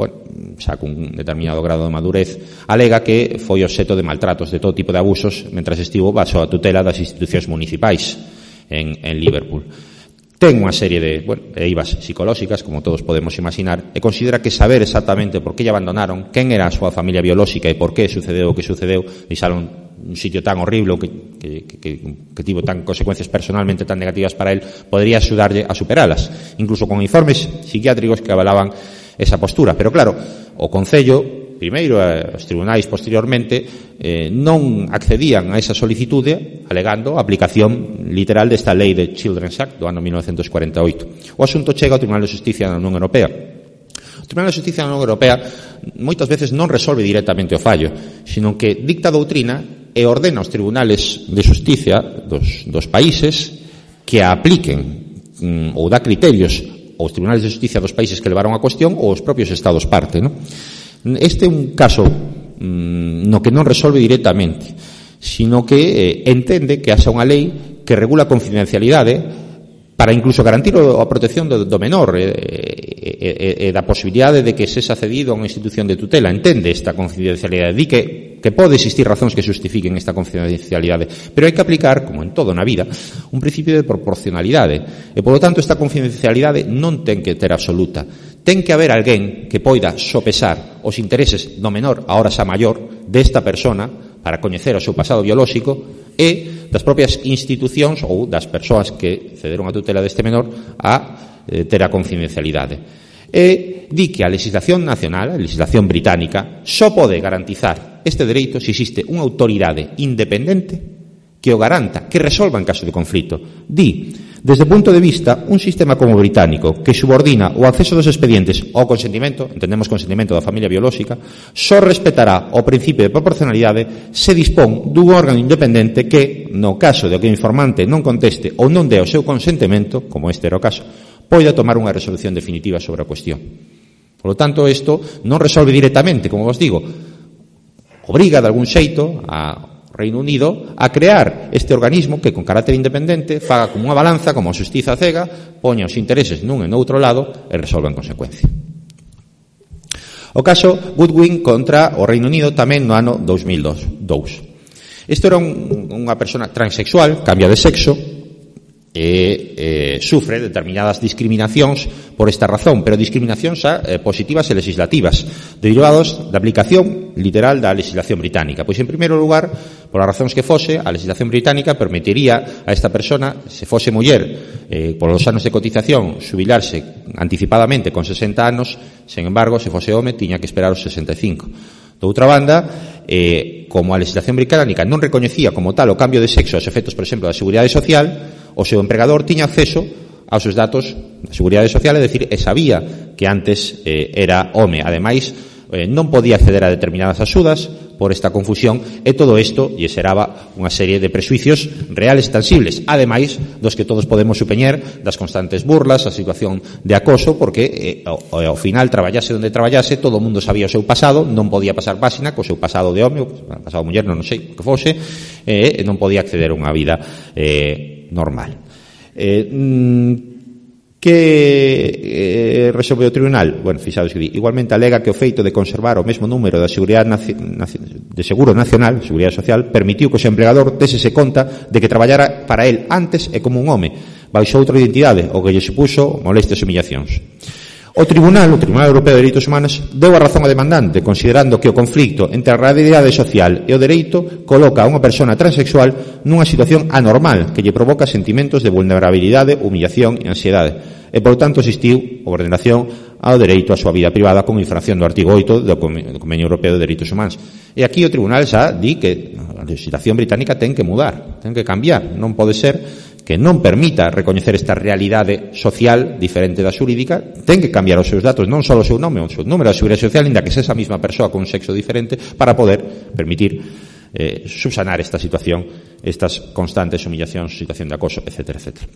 Speaker 2: xa cun determinado grado de madurez, alega que foi obxecto de maltratos, de todo tipo de abusos, mentras estivo baixo a tutela das institucións municipais en Liverpool. Ten unha serie de eivas psicolóxicas, como todos podemos imaginar, e considera que saber exactamente por que lle abandonaron, quen era a súa familia biolóxica e por que sucedeu o que sucedeu, deixaron un sitio tan horrible que tivo tan consecuencias personalmente tan negativas para él, podría axudarlle a superalas, incluso con informes psiquiátricos que avalaban esa postura. Pero claro, o Concello primeiro e os tribunais posteriormente non accedían a esa solicitude alegando a aplicación literal desta lei de Children's Act do ano 1948. O asunto chega ao Tribunal de Xusticia da Unión Europea. O Tribunal de Xusticia da Unión Europea moitas veces non resolve directamente o fallo, sino que dicta doutrina e ordena aos tribunales de xusticia dos países que a apliquen ou dá criterios aos tribunales de xusticia dos países que levaron a cuestión ou aos propios estados parte, non? Este é un caso no que non resolve directamente, sino que entende que haxa unha lei que regula a confidencialidade para incluso garantir a protección do menor e da posibilidade de que sexa cedido a unha institución de tutela. Entende esta confidencialidade, di que pode existir razóns que justifiquen esta confidencialidade, pero hai que aplicar, como en todo na vida, un principio de proporcionalidade, e polo tanto esta confidencialidade non ten que ter absoluta. Ten que haber alguén que poida sopesar os intereses do menor, agora xa maior, desta persona para coñecer o seu pasado biolóxico e das propias institucións ou das persoas que cederon a tutela deste menor a ter a confidencialidade. E di que a legislación nacional, a legislación británica, só pode garantizar este dereito se existe unha autoridade independente que o garanta, que resolva en caso de conflito. Di, desde o punto de vista, un sistema como o británico que subordina o acceso dos expedientes ao consentimento, entendemos consentimento da familia biolóxica, só respetará o principio de proporcionalidade se dispón dun órgano independente que, no caso de que o informante non conteste ou non dé o seu consentimento, como este era o caso, poida tomar unha resolución definitiva sobre a cuestión. Por lo tanto, isto non resolve directamente, como vos digo, obriga de algún xeito a Reino Unido a crear este organismo que con carácter independente faga como unha balanza, como a xustiza cega, poña os intereses nun e noutro lado e resolva en consecuencia. O caso Goodwin contra o Reino Unido tamén no ano 2002. Isto era unha persona transexual, cambia de sexo e sufre determinadas discriminacións por esta razón, pero discriminacións positivas e legislativas derivados da aplicación literal da legislación británica. Pois, en primeiro lugar, polas razóns que fose, a legislación británica permitiría a esta persona, se fose muller, polos anos de cotización, xubilarse anticipadamente con 60 anos, sen embargo, se fose home, tiña que esperar os 65. De outra banda, como a legislación británica non recoñecía como tal o cambio de sexo aos efectos, por exemplo, da Seguridade Social, o seu empregador tiña acceso aos seus datos da Seguridade Social, é dicir, e sabía que antes era home. Ademais, non podía acceder a determinadas axudas por esta confusión, e todo isto lle xeraba unha serie de prexuicios reales e tangibles, ademais dos que todos podemos supoñer das constantes burlas, a situación de acoso, porque ao final traballase onde traballase, todo o mundo sabía o seu pasado, non podía pasar páxina co seu pasado de home, o pasado muller, non sei o que fose, e non podía acceder a unha vida normal. Que resolve o tribunal? Bueno, fixados que di, igualmente alega que o feito de conservar o mesmo número da de Seguro Nacional, Seguridade Social, permitiu que o seu emplegador desese conta de que traballara para el antes e como un home, baixo outra identidade, o que lle supuxo molestias e humillacións. O Tribunal Europeo de Dereitos Humanos deu a razón ao demandante, considerando que o conflicto entre a realidade social e o dereito coloca a unha persona transexual nunha situación anormal que lle provoca sentimentos de vulnerabilidade, humillación e ansiedade. E, por tanto, existiu a ordenación ao dereito á súa vida privada con infracción do artigo 8 do Convenio Europeo de Dereitos Humanos. E aquí o Tribunal xa di que a legislación británica ten que mudar, ten que cambiar. Non pode ser que non permita recoñecer esta realidade social diferente da xurídica, ten que cambiar os seus datos, non só o seu nome, o seu número da Seguridade Social, inda que sexa esa mesma persoa con un sexo diferente, para poder permitir subsanar esta situación, estas constantes humillacións, situación de acoso, etc., etc.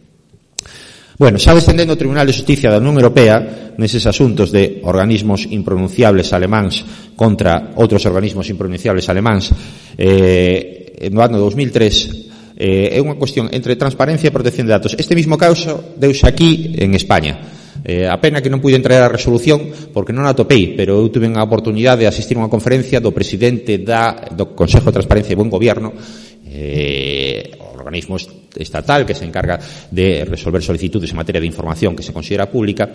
Speaker 2: Bueno, xa descendendo o Tribunal de Xusticia da Unión Europea neses asuntos de organismos impronunciables alemáns contra outros organismos impronunciables alemáns, no ano 2003 é unha cuestión entre transparencia e protección de datos. Este mismo caso deuse aquí en España. A pena que non pude entrar a resolución porque non a atopei, pero eu tuve a oportunidade de asistir a unha conferencia do presidente do Consejo de Transparencia e Buen Gobierno, organismo estatal que se encarga de resolver solicitudes en materia de información que se considera pública.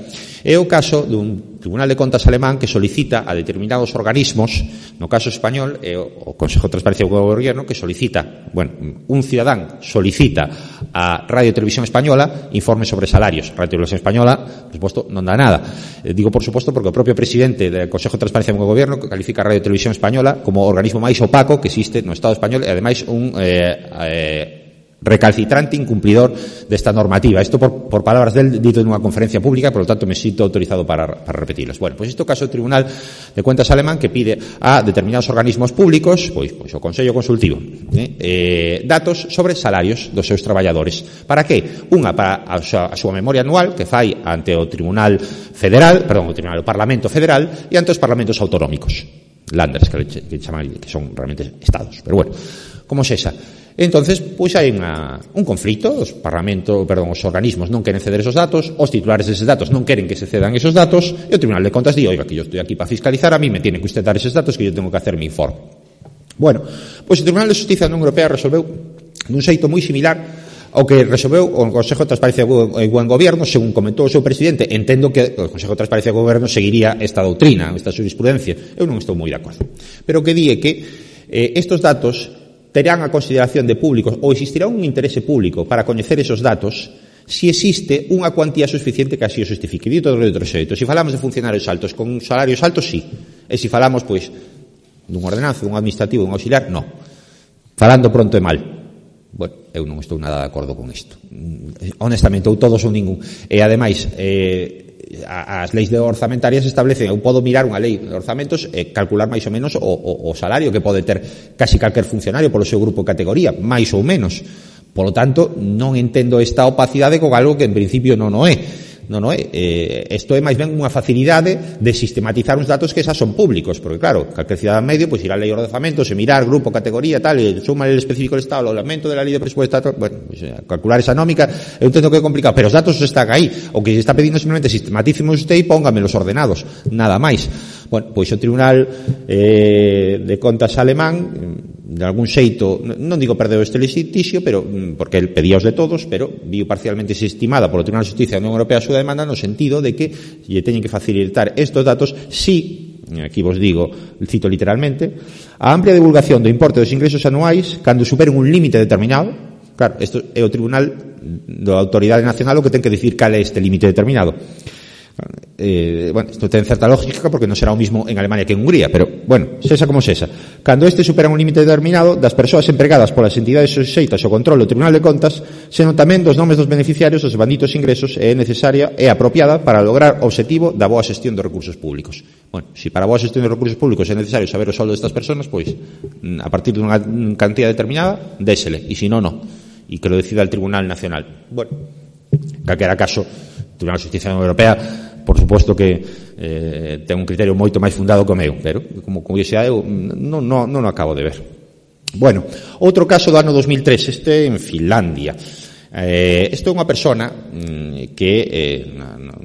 Speaker 2: É o caso dun Tribunal de Contas alemán que solicita a determinados organismos, no caso español, o Consejo de Transparencia e Buen Gobierno, que solicita Bueno, un cidadán solicita a Radio Televisión Española informe sobre salarios. Radio Televisión Española, por supuesto, non dá nada. Digo por suposto porque o propio presidente del Consejo de Transparencia do Goberno califica a Radio Televisión Española como o organismo máis opaco que existe no Estado español e ademais un recalcitrante incumplidor desta normativa. Isto por palabras del dito nunha conferencia pública, por lo tanto me sinto autorizado para repetirlos. Bueno, pois isto caso do Tribunal de Cuentas alemán que pide a determinados organismos públicos, pois o Consello Consultivo, datos sobre salarios dos seus traballadores. Para que? Unha, para a súa memoria anual que fai ante o Tribunal Federal, o Parlamento Federal e ante os parlamentos autonómicos. Landers, que chaman, que son realmente estados. Pero bueno, como se esa. Entonces, pois hai un conflito, os organismos non queren ceder esos datos, os titulares deses datos non queren que se cedan esos datos, e o Tribunal de Contas di, oiga, que yo estoy aquí para fiscalizar, a mí me tiene que usted dar esos datos, que yo tengo que hacer mi informe. Bueno, pois o Tribunal de Justicia da Unión Europea resolveu dun xeito moi similar ao que resolveu o Consejo de Transparencia e Buen Gobierno, según comentou o seu presidente. Entendo que o Consejo de Transparencia e Goberno seguiría esta doutrina, esta jurisprudencia. Eu non estou moi de acordo. Pero o que di é que estes datos terán a consideración de públicos ou existirá un interese público para coñecer esos datos se existe unha cuantía suficiente que así o justifique. Dito de outro xeito, se falamos de funcionarios altos con salarios altos, sí. E se falamos, pois, dun ordenanzo, dun administrativo, dun auxiliar, non. Falando pronto e mal. Bueno, eu non estou nada de acordo con isto. Honestamente, ou todos ou ningún. E, ademais, as leis orzamentarias establecen, eu podo mirar unha lei de orzamentos e calcular máis ou menos o salario que pode ter casi calquer funcionario polo seu grupo de categoría, máis ou menos. Por lo tanto, non entendo esta opacidade con algo que en principio non o é. Isto é máis ben unha facilidade de sistematizar uns datos que xa son públicos, porque claro, calquer cidadán medio, pois ir a lei de orzamentos e mirar grupo, categoría, tal, e suma el específico del Estado, o aumento de la lei de presupuesto, bueno, pues, calcular esa nómica, eu entendo que é complicado, pero os datos están aí. O que se está pedindo simplemente sistematícimos usted e póngamelos ordenados, nada máis. Bueno, pois o Tribunal de Contas alemán, de algún xeito, non digo perdeu este litixio, pero porque el pedía os de todos, pero viu parcialmente desestimada polo Tribunal de Justicia da Unión Europea a súa demanda no sentido de que lle teñen que facilitar estes datos si, aquí vos digo, cito literalmente, a amplia divulgación do importe dos ingresos anuais cando superen un límite determinado. Claro, isto é o Tribunal da Autoridade Nacional o que ten que dicir cal é este límite determinado. Bueno, isto ten certa lógica porque non será o mismo en Alemania que en Hungría, pero, bueno, sexa como sexa. Cando este supera un límite determinado das persoas empregadas polas entidades suxeitas ao control do Tribunal de Contas, senón tamén dos nomes dos beneficiarios dos banditos ingresos é necesaria e apropiada para lograr o obxectivo da boa xestión dos recursos públicos. Bueno, se para a boa xestión dos recursos públicos é necesario saber o soldo destas persoas, pois, a partir dunha cantidad determinada, désele, e se non, non. E que lo decida el Tribunal Nacional. Bueno, calquera caso, o Tribunal de Justicia da Unión Europea, por suposto que ten un criterio moito máis fundado que o meu, pero como curiosidade eu non o acabo de ver. Bueno, outro caso do ano 2003, este en Finlandia. Isto é unha persona que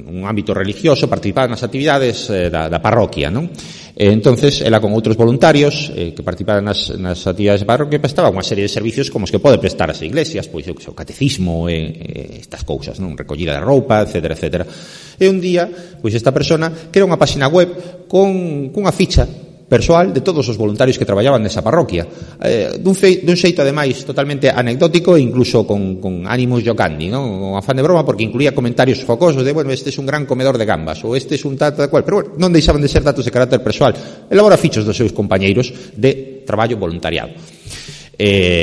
Speaker 2: nun ámbito religioso participaba nas actividades da parroquia, non? Entonces, ela con outros voluntarios que participaban nas actividades da parroquia prestaba unha serie de servicios como os que pode prestar as iglesias, pois o catecismo e estas cousas, non? Recollida de roupa, etcétera, etcétera. E un día, pois esta persona crea unha páxina web cunha ficha persoal de todos os voluntarios que traballaban nesa parroquia, dun xeito ademais totalmente anecdótico e incluso con ánimos jocandi, non? Con afán de broma, porque incluía comentarios jocosos de, bueno, este é un gran comedor de gambas ou este é un tal cual, pero bueno, non deixaban de ser datos de carácter persoal. Elabora fichos dos seus compañeiros de traballo voluntariado.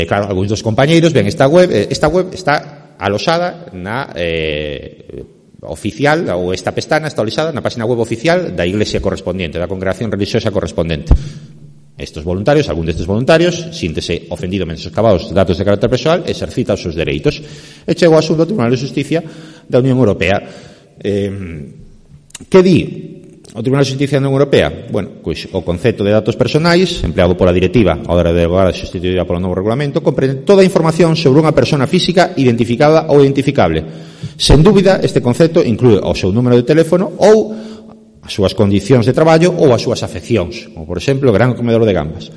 Speaker 2: Claro, algúns dos compañeiros ven esta web está alosada na oficial, ou esta pestana está alojada na página web oficial da iglesia correspondiente, da congregación religiosa correspondiente. Estes voluntarios, algún destes voluntarios, síntese ofendido menoscabados datos de carácter persoal, exercita os seus dereitos. E chegou a asunto ao Tribunal de Justicia da Unión Europea. Que di o Tribunal de Justicia da Unión Europea? Bueno, pois o concepto de datos personais empleado pola directiva a hora de derogar a sustituída polo novo regulamento comprende toda a información sobre unha persona física identificada ou identificable. Sen dúbida, este concepto inclúe o seu número de teléfono ou as súas condicións de traballo ou as súas afeccións, como por exemplo o gran comedor de gambas.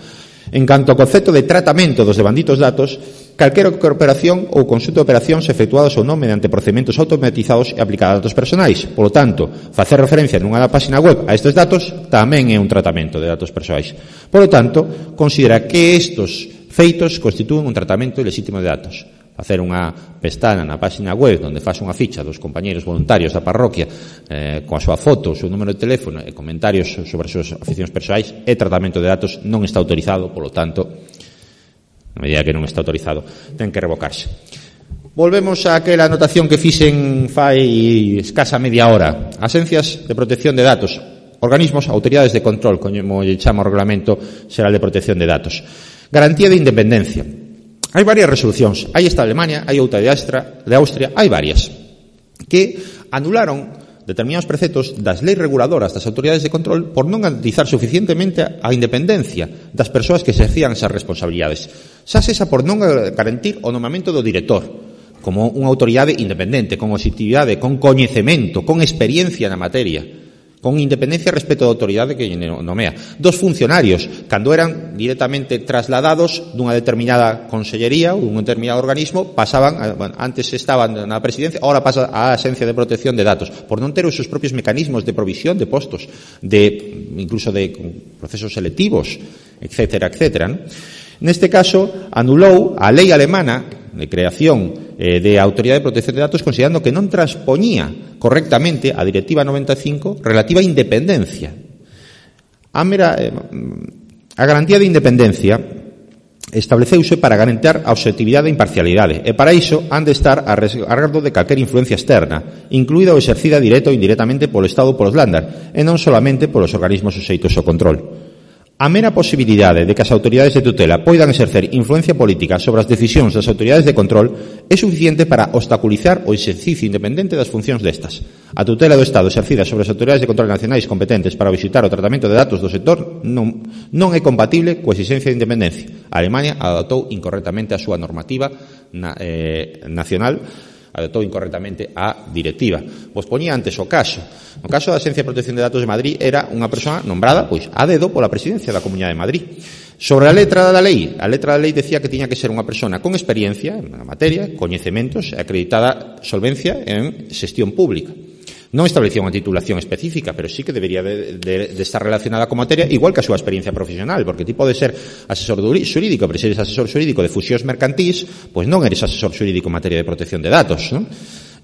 Speaker 2: En canto ao concepto de tratamento dos devanditos datos, calquera operación ou conxunto de operacións efectuadas ou non mediante procedementos automatizados e aplicados a datos personais. Polo tanto, facer referencia nunha página web a estes datos tamén é un tratamento de datos persoais. Polo tanto, considera que estes feitos constitúen un tratamento ilexítimo de datos. Facer unha pestana na página web onde faz unha ficha dos compañeiros voluntarios da parroquia coa súa foto, o seu número de teléfono e comentarios sobre as súas aficións persoais e tratamento de datos non está autorizado, polo tanto, na medida que non está autorizado, ten que revocarse. Volvemos a aquela anotación que fixen fai escasa media hora. Agencias de protección de datos, organismos, autoridades de control, como lle chama o Regulamento Xeral de Protección de Datos. Garantía de independencia. Hai varias resolucións. Hai esta de Alemania, hai outra de Austria, hai varias que anularon determinados preceptos das leis reguladoras das autoridades de control por non garantizar suficientemente a independencia das persoas que exercían esas responsabilidades. Xa sexa por non garantir o nomamento do director como unha autoridade independente, con objetividade, con coñecemento, con experiencia na materia, con independencia respecto da autoridade que nomea. Dos funcionarios, cando eran directamente trasladados dunha determinada consellería ou dun determinado organismo, pasaban, antes estaban na presidencia, ahora pasa á Agencia de Protección de Datos, por non ter os seus propios mecanismos de provisión de postos, incluso de procesos selectivos, etcétera, etcétera, ¿no? Neste caso, anulou a lei alemana de creación de Autoridade de Protección de Datos, considerando que non transpoñía correctamente a Directiva 95 relativa a independencia. A garantía de independencia estableceuse para garantir a obxectividade e imparcialidade, e para iso han de estar a resguardo de calquer influencia externa, incluída ou exercida directa ou indirectamente polo Estado ou polos Länder, e non solamente polos organismos suxeitos ao control. A mera posibilidade de que as autoridades de tutela poidan exercer influencia política sobre as decisións das autoridades de control é suficiente para obstaculizar o exercicio independente das funcións destas. A tutela do Estado exercida sobre as autoridades de control nacionais competentes para visitar o tratamento de datos do sector non é compatible coa exigencia de independencia. A Alemania adoptou incorrectamente a súa normativa nacional, adoptou incorrectamente a directiva. Pois poñía antes o caso. No caso da Agencia de Protección de Datos de Madrid era unha persoa nombrada pois a dedo pola presidencia da Comunidade de Madrid. Sobre a letra da lei decía que tiña que ser unha persona con experiencia na materia, coñecementos e acreditada solvencia en xestión pública. Non establecía unha titulación específica, pero sí que debería de estar relacionada con materia, igual que a súa experiencia profesional, porque ti podes ser asesor xurídico, pero se eres asesor xurídico de fusións mercantís, pois non eres asesor xurídico en materia de protección de datos, non?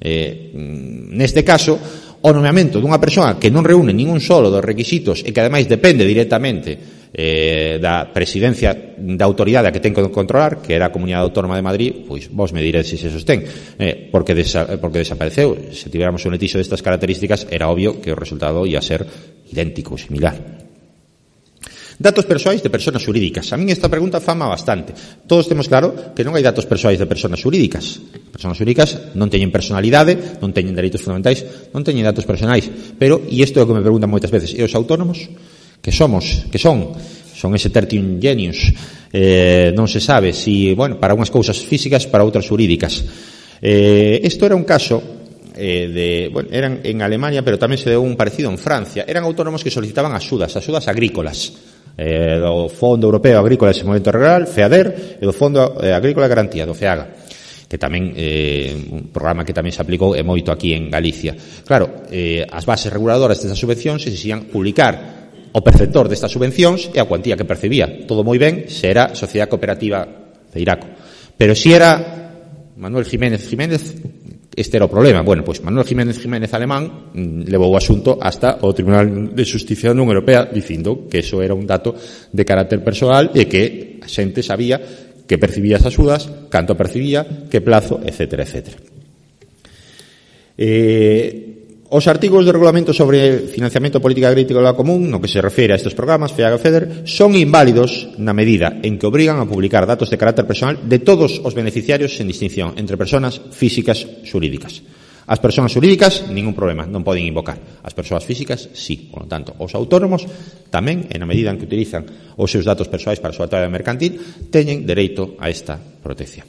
Speaker 2: Neste caso, o nomeamento dunha persoa que non reúne ningún solo dos requisitos e que ademais depende directamente da presidencia da autoridade a que ten que controlar, que era a Comunidade Autónoma de Madrid, pois vos me diredes se se sostén, porque desapareceu. Se tivéramos un litixio destas características, era obvio que o resultado ia ser idéntico, similar. Datos persoais de persoas xurídicas. A min esta pregunta fama bastante. Todos temos claro que non hai datos persoais de persoas xurídicas. Persoas xurídicas non teñen personalidade, non teñen dereitos fundamentais, non teñen datos personais. Pero, e isto é o que me preguntan moitas veces, e os autónomos? Que son ese tertium genius, non se sabe si, para unhas cousas físicas, para outras xurídicas. Isto era un caso eran en Alemania, pero tamén se deu un parecido en Francia. Eran autónomos que solicitaban axudas agrícolas, do Fondo Europeo Agrícola de Desenvolvemento Rural, FEADER, e do Fondo Agrícola de Garantía, do FEAGA, que tamén un programa que tamén se aplicou e moito aquí en Galicia. Claro, as bases reguladoras destas subvencións exixían publicar o perceptor destas subvencións e a cuantía que percibía. Todo moi ben se era Sociedade Cooperativa Feiraco. Pero se era Manuel Jiménez, este era o problema. Pois Manuel Jiménez alemán levou o asunto hasta o Tribunal de Xusticia da Unión Europea dicindo que eso era un dato de carácter persoal e que a xente sabía que percibía esas axudas, canto percibía, que plazo, etcétera, etcétera. Os artigos do regulamento sobre financiamento de política agrícola común, no que se refere a estes programas, FEAGA e FEDER, son inválidos na medida en que obrigan a publicar datos de carácter personal de todos os beneficiarios sen distinción entre persoas físicas xurídicas. As persoas xurídicas, ningún problema, non poden invocar. As persoas físicas, sí. Por lo tanto, os autónomos tamén, en a medida en que utilizan os seus datos persoais para a súa actividade mercantil, teñen dereito a esta protección.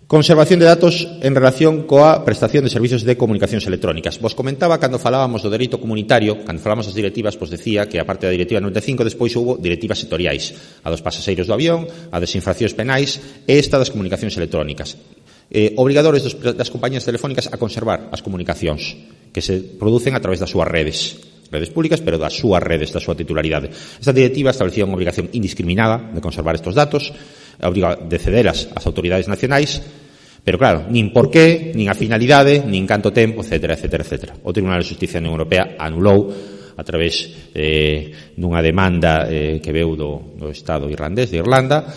Speaker 2: Conservación de datos en relación coa prestación de servicios de comunicacións electrónicas. Vos comentaba cando falábamos do dereito comunitario, cando falábamos das directivas, pois decía que a parte da directiva 95 despois houve directivas sectoriais, a dos pasaxeiros do avión, a das infraccións penais e esta das comunicacións electrónicas. Obrigadores das compañías telefónicas a conservar as comunicacións que se producen a través das súas redes. redes públicas, pero das súas redes, da súa titularidade. Esta directiva establecía unha obrigación indiscriminada de conservar estes datos, obriga de cederas ás autoridades nacionais, pero claro, nin por qué, nin a finalidade, nin canto tempo, etcétera, etcétera, etcétera. O Tribunal de Xustiza da Unión Europea anulou a través dunha demanda que veu do Estado irlandés de Irlanda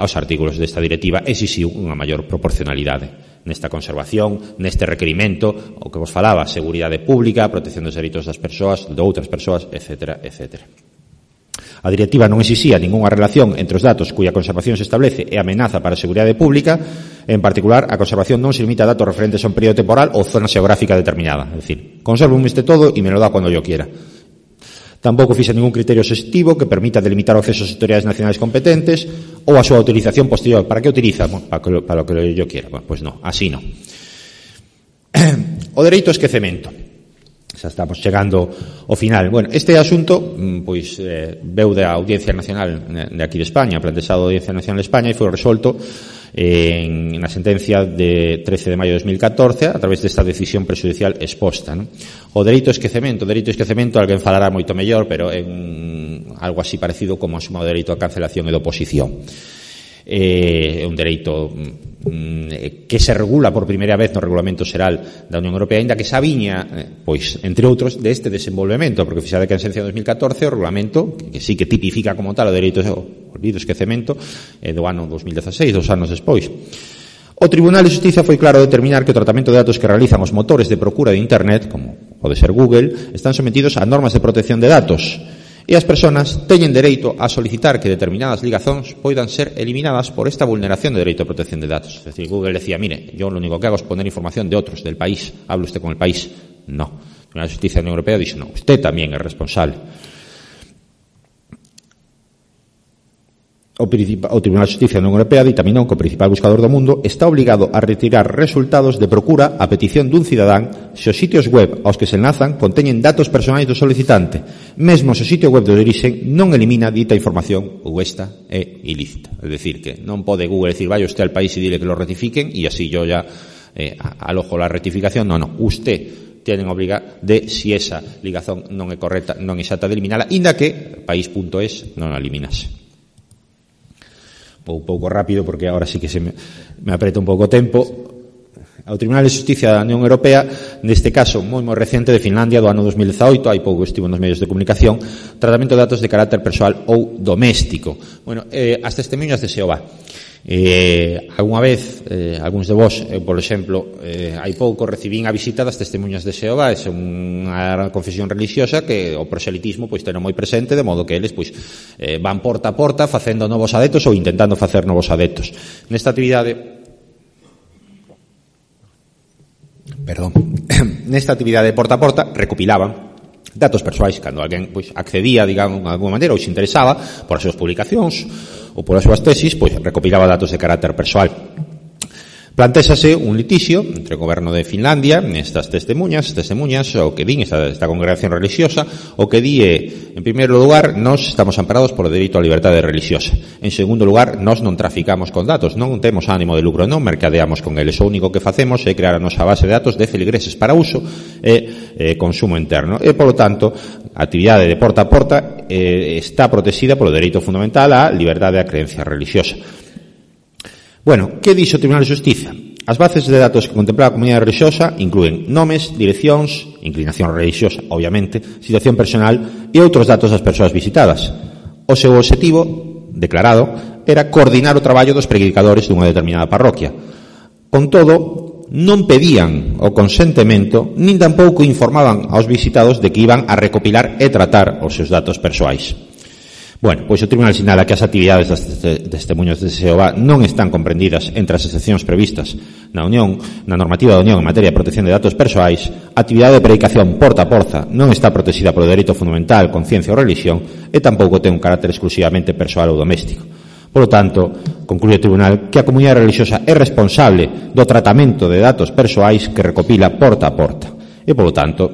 Speaker 2: aos artículos desta directiva exixiu unha maior proporcionalidade nesta conservación, neste requerimento, o que vos falaba, seguridade pública, protección dos dereitos das persoas, de outras persoas, etcétera, etcétera. A directiva non exixía ningunha relación entre os datos cuya conservación se establece e amenaza para a seguridade pública. En particular, a conservación non se limita a datos referentes a un período temporal ou zona xeográfica determinada. É dicir, conservo este todo e me lo dá cando yo quiera. Tampouco fixa ningún criterio exhaustivo que permita delimitar o acceso ás autoridades nacionais competentes ou a súa utilización posterior. Para que utiliza? Bueno, para lo que yo quiera. Bueno, pues no, así no. O dereito ao esquecemento. Xa estamos chegando ao final. Bueno, este asunto pois veu da Audiencia Nacional de aquí de España, plantexado da Audiencia Nacional de España, e foi resolto na sentencia de 13 de maio de 2014 a través desta decisión prexudicial exposta, non? O dereito ao esquecemento, alguén falará moito mellor, pero é algo así parecido como o dereito á cancelación e de oposición. É un dereito que se regula por primeira vez no Regulamento Xeral da Unión Europea, aínda que xa viña, pois, entre outros, deste desenvolvemento, porque fixade que en sentencia de 2014 o Regulamento, que sí que tipifica como tal o dereito ao olvido e esquecemento, do ano 2016, 2 anos despois. O Tribunal de Xustiza foi claro a determinar que o tratamento de datos que realizan os motores de procura de Internet, como pode ser Google, están sometidos a normas de protección de datos, e as persoas teñen dereito a solicitar que determinadas ligazóns poidan ser eliminadas por esta vulneración de dereito a protección de datos. Es decir, Google decía, mire, yo lo único que hago es poner información de otros, del país, ¿habla usted con el país? No. La Justicia de la Unión Europea dice, no, usted también es responsable. O Tribunal de Xustiza da Unión Europea ditaminou que o principal buscador do mundo está obligado a retirar resultados de procura a petición dun cidadán se os sitios web aos que se enlazan conteñen datos personais do solicitante, mesmo se o sitio web de orixe non elimina dita información ou esta é ilícita. Es decir, que non pode Google decir, vaya usted al país e dile que lo rectifiquen e así yo ya alojo la rectificación. No, usted tienen obriga de, si esa ligazón non é correcta, non é exata, de eliminala, inda que país.es non a eliminase. Un pouco rápido, porque ahora sí que se me aprieta un pouco o tempo. Ao Tribunal de Xustiza da Unión Europea, neste caso moi recente de Finlandia do ano 2018, hai pouco estivo nos medios de comunicación, tratamento de datos de carácter persoal ou doméstico. Bueno, as testemunhas de Xehová. Alguna vez, algúns de vos, por exemplo, hai pouco recibín a visita das testemunhas de Xehová. É unha confesión religiosa que o proselitismo pois ten moi presente, de modo que eles pois van porta a porta facendo novos adeptos ou intentando facer novos adeptos. Nesta actividade porta a porta recopilaban datos persoais cando alguén pois accedía, digamos, de alguma maneira ou se interesaba por as súas publicacións ou por as súas tesis, pois recopilaba datos de carácter persoal. Plantéxase un litixio entre o goberno de Finlandia nestas testemunhas, o que din esta congregación religiosa, o que di en primeiro lugar, nós estamos amparados por o dereito á liberdade religiosa. En segundo lugar, nós non traficamos con datos, non temos ánimo de lucro, non mercadeamos con eles. O único que facemos é crear a nosa base de datos de feligreses para uso e consumo interno. E, polo tanto, a actividade de porta a porta está protexida polo dereito fundamental á liberdade da creencia religiosa. Bueno, que dixo o Tribunal de Xustiza? As bases de datos que contempla a comunidade religiosa inclúen nomes, direccións, inclinación religiosa, obviamente, situación personal e outros datos das persoas visitadas. O seu obxectivo, declarado, era coordinar o traballo dos predicadores dunha determinada parroquia. Con todo, non pedían o consentemento nin tampouco informaban aos visitados de que iban a recopilar e tratar os seus datos persoais. Bueno, pois o Tribunal sinala que as actividades das testemunhos de Xehová non están comprendidas entre as excepcións previstas na normativa da Unión en materia de protección de datos persoais. A actividade de predicación porta a porta non está protexida polo dereito fundamental, conciencia ou religión e tampouco ten un carácter exclusivamente persoal ou doméstico. Por lo tanto, conclúe o Tribunal que a comunidade religiosa é responsable do tratamento de datos persoais que recopila porta a porta. E, polo tanto,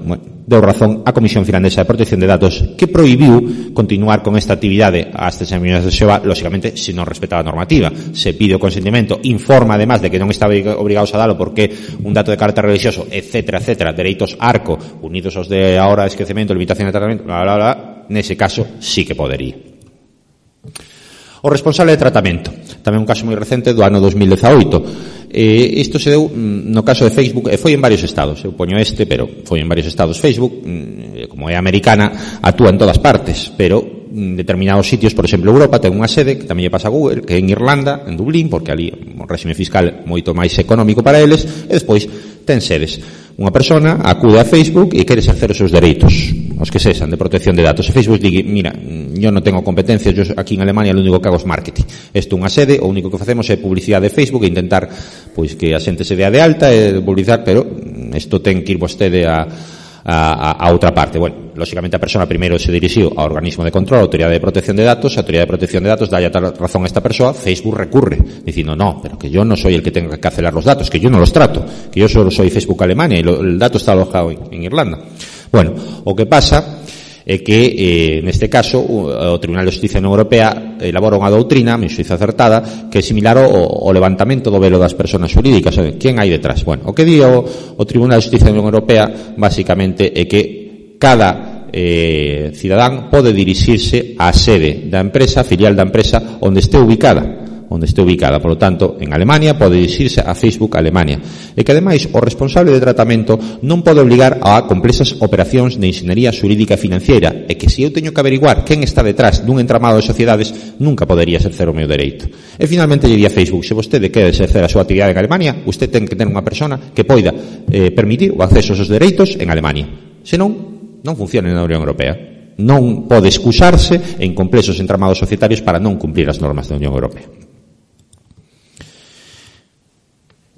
Speaker 2: deu razón a Comisión Finlandesa de Protección de Datos, que prohibiu continuar con esta actividade ás testemunhas de Xehová, lóxicamente, se non respetaba a normativa. Se pide o consentimento, informa, además, de que non está obrigados a dalo porque un dato de carácter religioso, etcétera, etcétera, dereitos arco, unidos aos de ahora esquecemento, limitación de tratamento, bla, bla, bla, nese caso sí que podería. O responsable de tratamento, tamén un caso moi recente do ano 2018. Isto se deu no caso de Facebook, e foi en varios estados, eu poño pero foi en varios estados. Facebook, como é americana, actúa en todas partes, pero en determinados sitios, por exemplo, Europa ten unha sede, que tamén lle pasa a Google, que é en Irlanda, en Dublín, porque ali o réxime fiscal moito máis económico para eles, e despois ten sedes. Unha persona acude a Facebook e quere exercer os seus dereitos, os que sexan, de protección de datos. E Facebook digue, mira, yo non tengo competencias, yo aquí en Alemania lo único que hago es marketing. Isto é unha sede, o único que facemos é publicidade de Facebook e intentar pois que a xente se dea de alta e publicar, pero isto ten que ir vostede a outra parte. Bueno, lóxicamente a persona primeiro se dirixiu ao organismo de control, a Autoridade de Protección de Datos, a Autoridade de Protección de Datos dalle a razón a esta persoa, Facebook recurre, dicindo, no, pero que yo no soy el que tenga que cancelar los datos, que yo no los trato, que yo solo soy Facebook Alemania y el dato está alojado en Irlanda. Bueno, o que pasa é que, neste caso, o Tribunal de Justicia da Unión Europea elabora unha doutrina, me xuizo acertada, que é similar ao levantamento do velo das persoas xurídicas. Quen hai detrás? Bueno, o que di o Tribunal de Justicia da Unión Europea, basicamente, é que cada cidadán pode dirixirse á sede da empresa, filial da empresa, onde este ubicada. Por lo tanto, en Alemania pode dirixirse a Facebook Alemania. E que, ademais, o responsable de tratamento non pode obligar a complexas operacións de inxeniería xurídica e financiera, e que se eu teño que averiguar quen está detrás dun entramado de sociedades, nunca podería exercer o meu dereito. E, finalmente, lle di a Facebook, se vostede quere exercer a súa actividade en Alemania, usted ten que ter unha persona que poida permitir o acceso aos seus dereitos en Alemania. Senón, non funciona na Unión Europea. Non pode excusarse en complexos entramados societarios para non cumprir as normas da Unión Europea.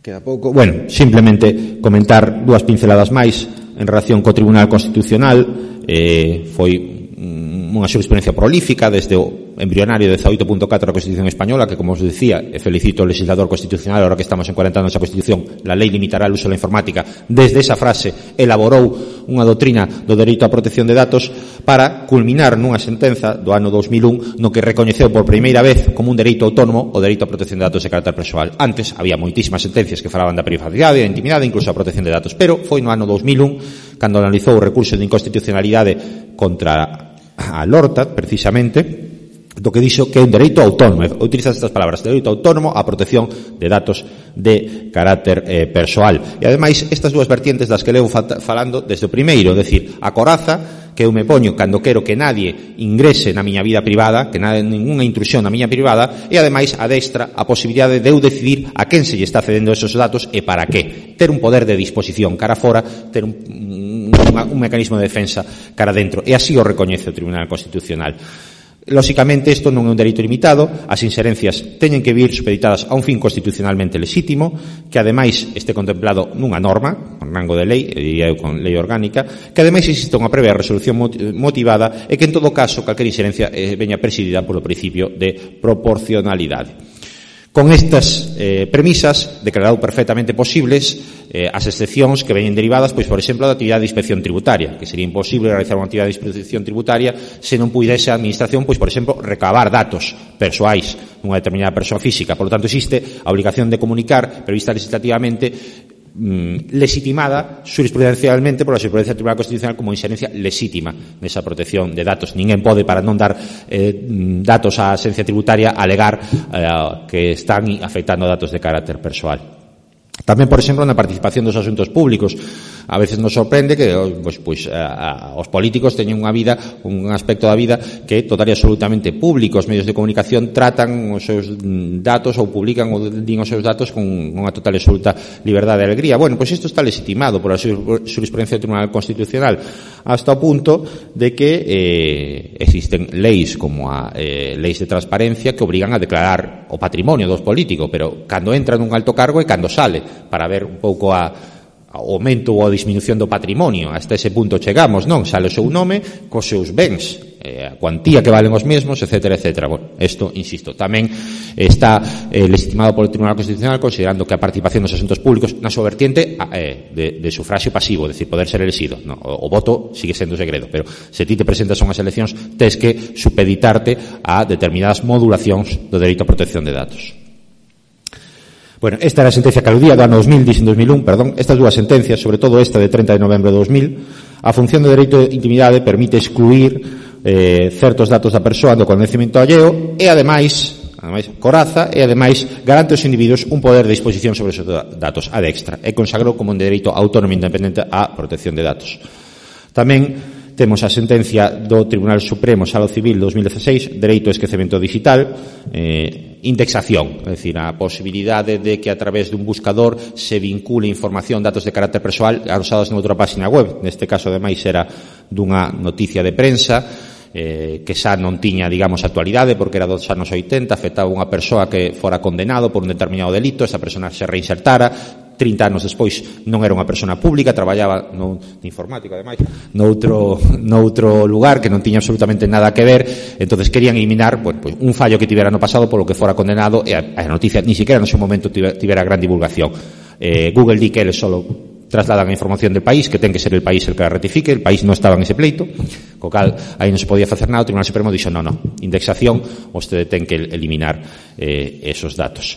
Speaker 2: Queda pouco. Bueno, simplemente comentar dúas pinceladas máis en relación co Tribunal Constitucional. Foi unha xurisprudencia prolífica desde o embrionario 18.4 da Constitución Española, que, como os decía, felicito ao legislador constitucional, ahora que estamos en 40 anos da Constitución, la lei limitará o uso da informática. Desde esa frase elaborou unha doutrina do dereito á protección de datos para culminar nunha sentenza do ano 2001 no que recoñeceu por primeira vez como un dereito autónomo o dereito á protección de datos de carácter persoal. Antes había moitísimas sentencias que falaban da privacidade, da intimidade, incluso a protección de datos, pero foi no ano 2001 cando analizou o recurso de inconstitucionalidade contra a Lortat, precisamente, do que dixo que é un dereito autónomo, utiliza estas palabras, dereito autónomo á protección de datos de carácter persoal. E, ademais, estas dúas vertientes das que levo falando desde o primeiro, decir, a coraza que eu me poño cando quero que nadie ingrese na miña vida privada, que ninguna intrusión na miña privada, e, ademais, adestra a posibilidade de eu decidir a quen se lle está cedendo esos datos e para que. Ter un poder de disposición cara fora, ter un mecanismo de defensa cara dentro, e así o recoñece o Tribunal Constitucional. Lóxicamente, isto non é un dereito limitado, as inxerencias teñen que vir supeditadas a un fin constitucionalmente lexítimo, que ademais este contemplado nunha norma, con rango de lei, diría eu con lei orgánica, que ademais existe unha previa resolución motivada e que en todo caso calquera inxerencia veña presidida polo principio de proporcionalidade. Con estas premisas, declarado perfectamente posibles as excepcións que veñen derivadas, pois, por exemplo, da actividade de inspección tributaria, que sería imposible realizar unha actividade de inspección tributaria se non puidese a administración, pois, por exemplo, recabar datos persoais dunha determinada persoa física. Por lo tanto, existe a obligación de comunicar, prevista legislativamente, legitimada jurisprudencialmente por a xurisprudencia do Tribunal Constitucional como inxerencia lexítima nesa protección de datos. Ninguén pode, para non dar datos á axencia tributaria, alegar que están afectando datos de carácter persoal. Tamén, por exemplo, na participación dos asuntos públicos. A veces nos sorprende que os políticos teñen unha vida, un aspecto da vida que é total e absolutamente público. Os medios de comunicación tratan os seus datos ou publican ou din os seus datos con unha total e absoluta liberdade e alegría. Bueno, pois isto está legitimado por a xurisprudencia do Tribunal Constitucional hasta o punto de que existen leis como a leis de transparencia que obrigan a declarar o patrimonio dos políticos, pero cando entra nun alto cargo e cando sale, para ver un pouco a ao aumento ou a disminución do patrimonio. Hasta ese punto chegamos, non? Sale o seu nome cos seus bens, a cuantía que valen os mesmos, etcétera, etcétera. Bueno, isto, insisto, tamén está legitimado polo Tribunal Constitucional, considerando que a participación dos asuntos públicos na súa vertiente de sufragio pasivo, é dicir, poder ser elexido. No, o voto sigue sendo segredo, pero se ti te presentas a unhas eleccións, tes que supeditarte a determinadas modulacións do dereito a protección de datos. Bueno, esta era a sentencia que aludía do ano 2000, dixen 2001, perdón. Estas dúas sentencias, sobre todo esta de 30 de novembro de 2000, a función do dereito de intimidade permite excluir certos datos da persoa do coñecemento alleo e, ademais, coraza e, ademais, garante aos individuos un poder de disposición sobre os datos ad extra e consagrou como un dereito autónomo e independente á protección de datos. Tamén temos a sentencia do Tribunal Supremo Sala Civil 2016, dereito ao esquecemento digital, indexación, é dicir, a posibilidade de que a través dun buscador se vincule información, datos de carácter persoal adosados noutra página web. Neste caso, ademais, era dunha noticia de prensa que xa non tiña, digamos, actualidade porque era dos anos 80, afectaba unha persoa que fora condenado por un determinado delito, esa persona se reinsertara, 30 anos despois non era unha persona pública, traballaba no informático, ademais, noutro lugar que non tiña absolutamente nada que ver. Entonces querían eliminar pues, un fallo que tivera no pasado polo que fora condenado, e a noticia ni siquiera no seu momento tivera gran divulgación. Google di que eles solo trasladan a información del país, que ten que ser el país el que la rectifique. El país non estaba en ese pleito, co cal aí non se podía facer nada. O Tribunal Supremo dixo, non, indexación, vostede ten que eliminar esos datos.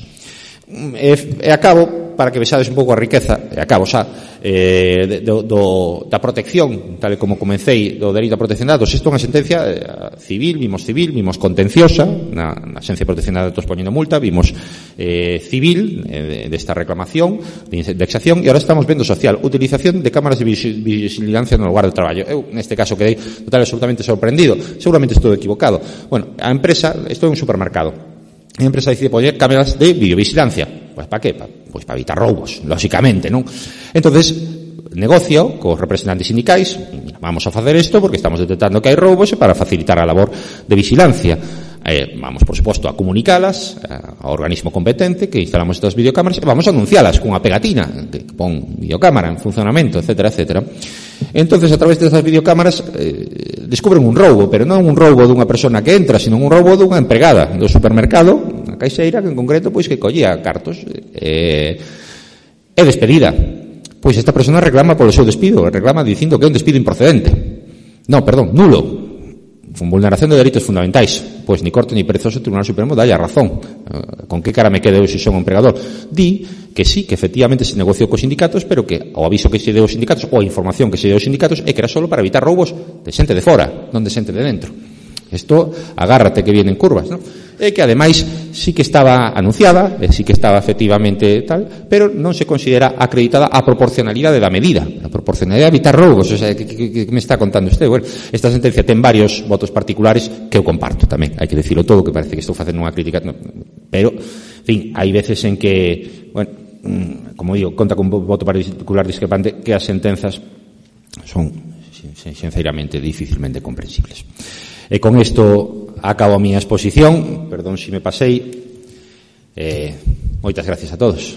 Speaker 2: E acabo, para que vexades un pouco a riqueza, e acabo xa, da protección, tal e como comecei, do dereito a protección de datos. Isto é unha sentencia civil, vimos contenciosa, na Axencia de Protección de Datos poñendo multa, vimos civil, desta reclamación, de indexación, e ahora estamos vendo social, utilización de cámaras de vigilancia no lugar de traballo. Eu, neste caso, quedei total e absolutamente sorprendido, seguramente estou equivocado. Bueno, a empresa, isto é un supermercado, a empresa decide poñer cámaras de videovigilancia. Pues para qué? Pues para evitar roubos, lógicamente, non? Entonces, negocio cos representantes sindicais, vamos a facer isto porque estamos detectando que hai roubos e para facilitar a labor de vigilancia. Vamos, por suposto, a comunicalas ao organismo competente que instalamos estas videocámaras e vamos a anuncialas cunha pegatina que pon videocámara en funcionamento, etcétera, etcétera. Entonces, a través destas videocámaras descubren un roubo, pero non un roubo dunha persona que entra, sino un roubo dunha empregada do supermercado, a caixeira, que en concreto, pois que collía cartos e despedida. Pois esta persona reclama polo seu despido, reclama dicindo que é un despido improcedente. No, perdón, nulo. Con vulneración de dereitos fundamentais. Pois ni corto ni perezoso o Tribunal Supremo dalle a razón. Con que cara me quedo eu se son un empregador? Di que sí, que efectivamente se negociou cos sindicatos, pero que o aviso que se deu aos sindicatos ou a información que se deu aos sindicatos é que era solo para evitar roubos de xente de fora, non de xente de dentro. Isto, agárrate que vienen curvas, non? E que ademais sí que estaba anunciada, sí que estaba efectivamente tal, pero non se considera acreditada a proporcionalidade da medida, a proporcionalidade de evitar roubos. O sea, que me está contando usted? Bueno, esta sentencia ten varios votos particulares que eu comparto tamén, hai que decirlo todo, que parece que estou facendo unha crítica, no, pero, en fin, hai veces en que, bueno, como digo, conta con un voto particular discrepante, que as sentenzas son sinceramente dificilmente comprensibles. E con isto acabo a miña exposición. Perdón se me pasei. Moitas gracias a todos.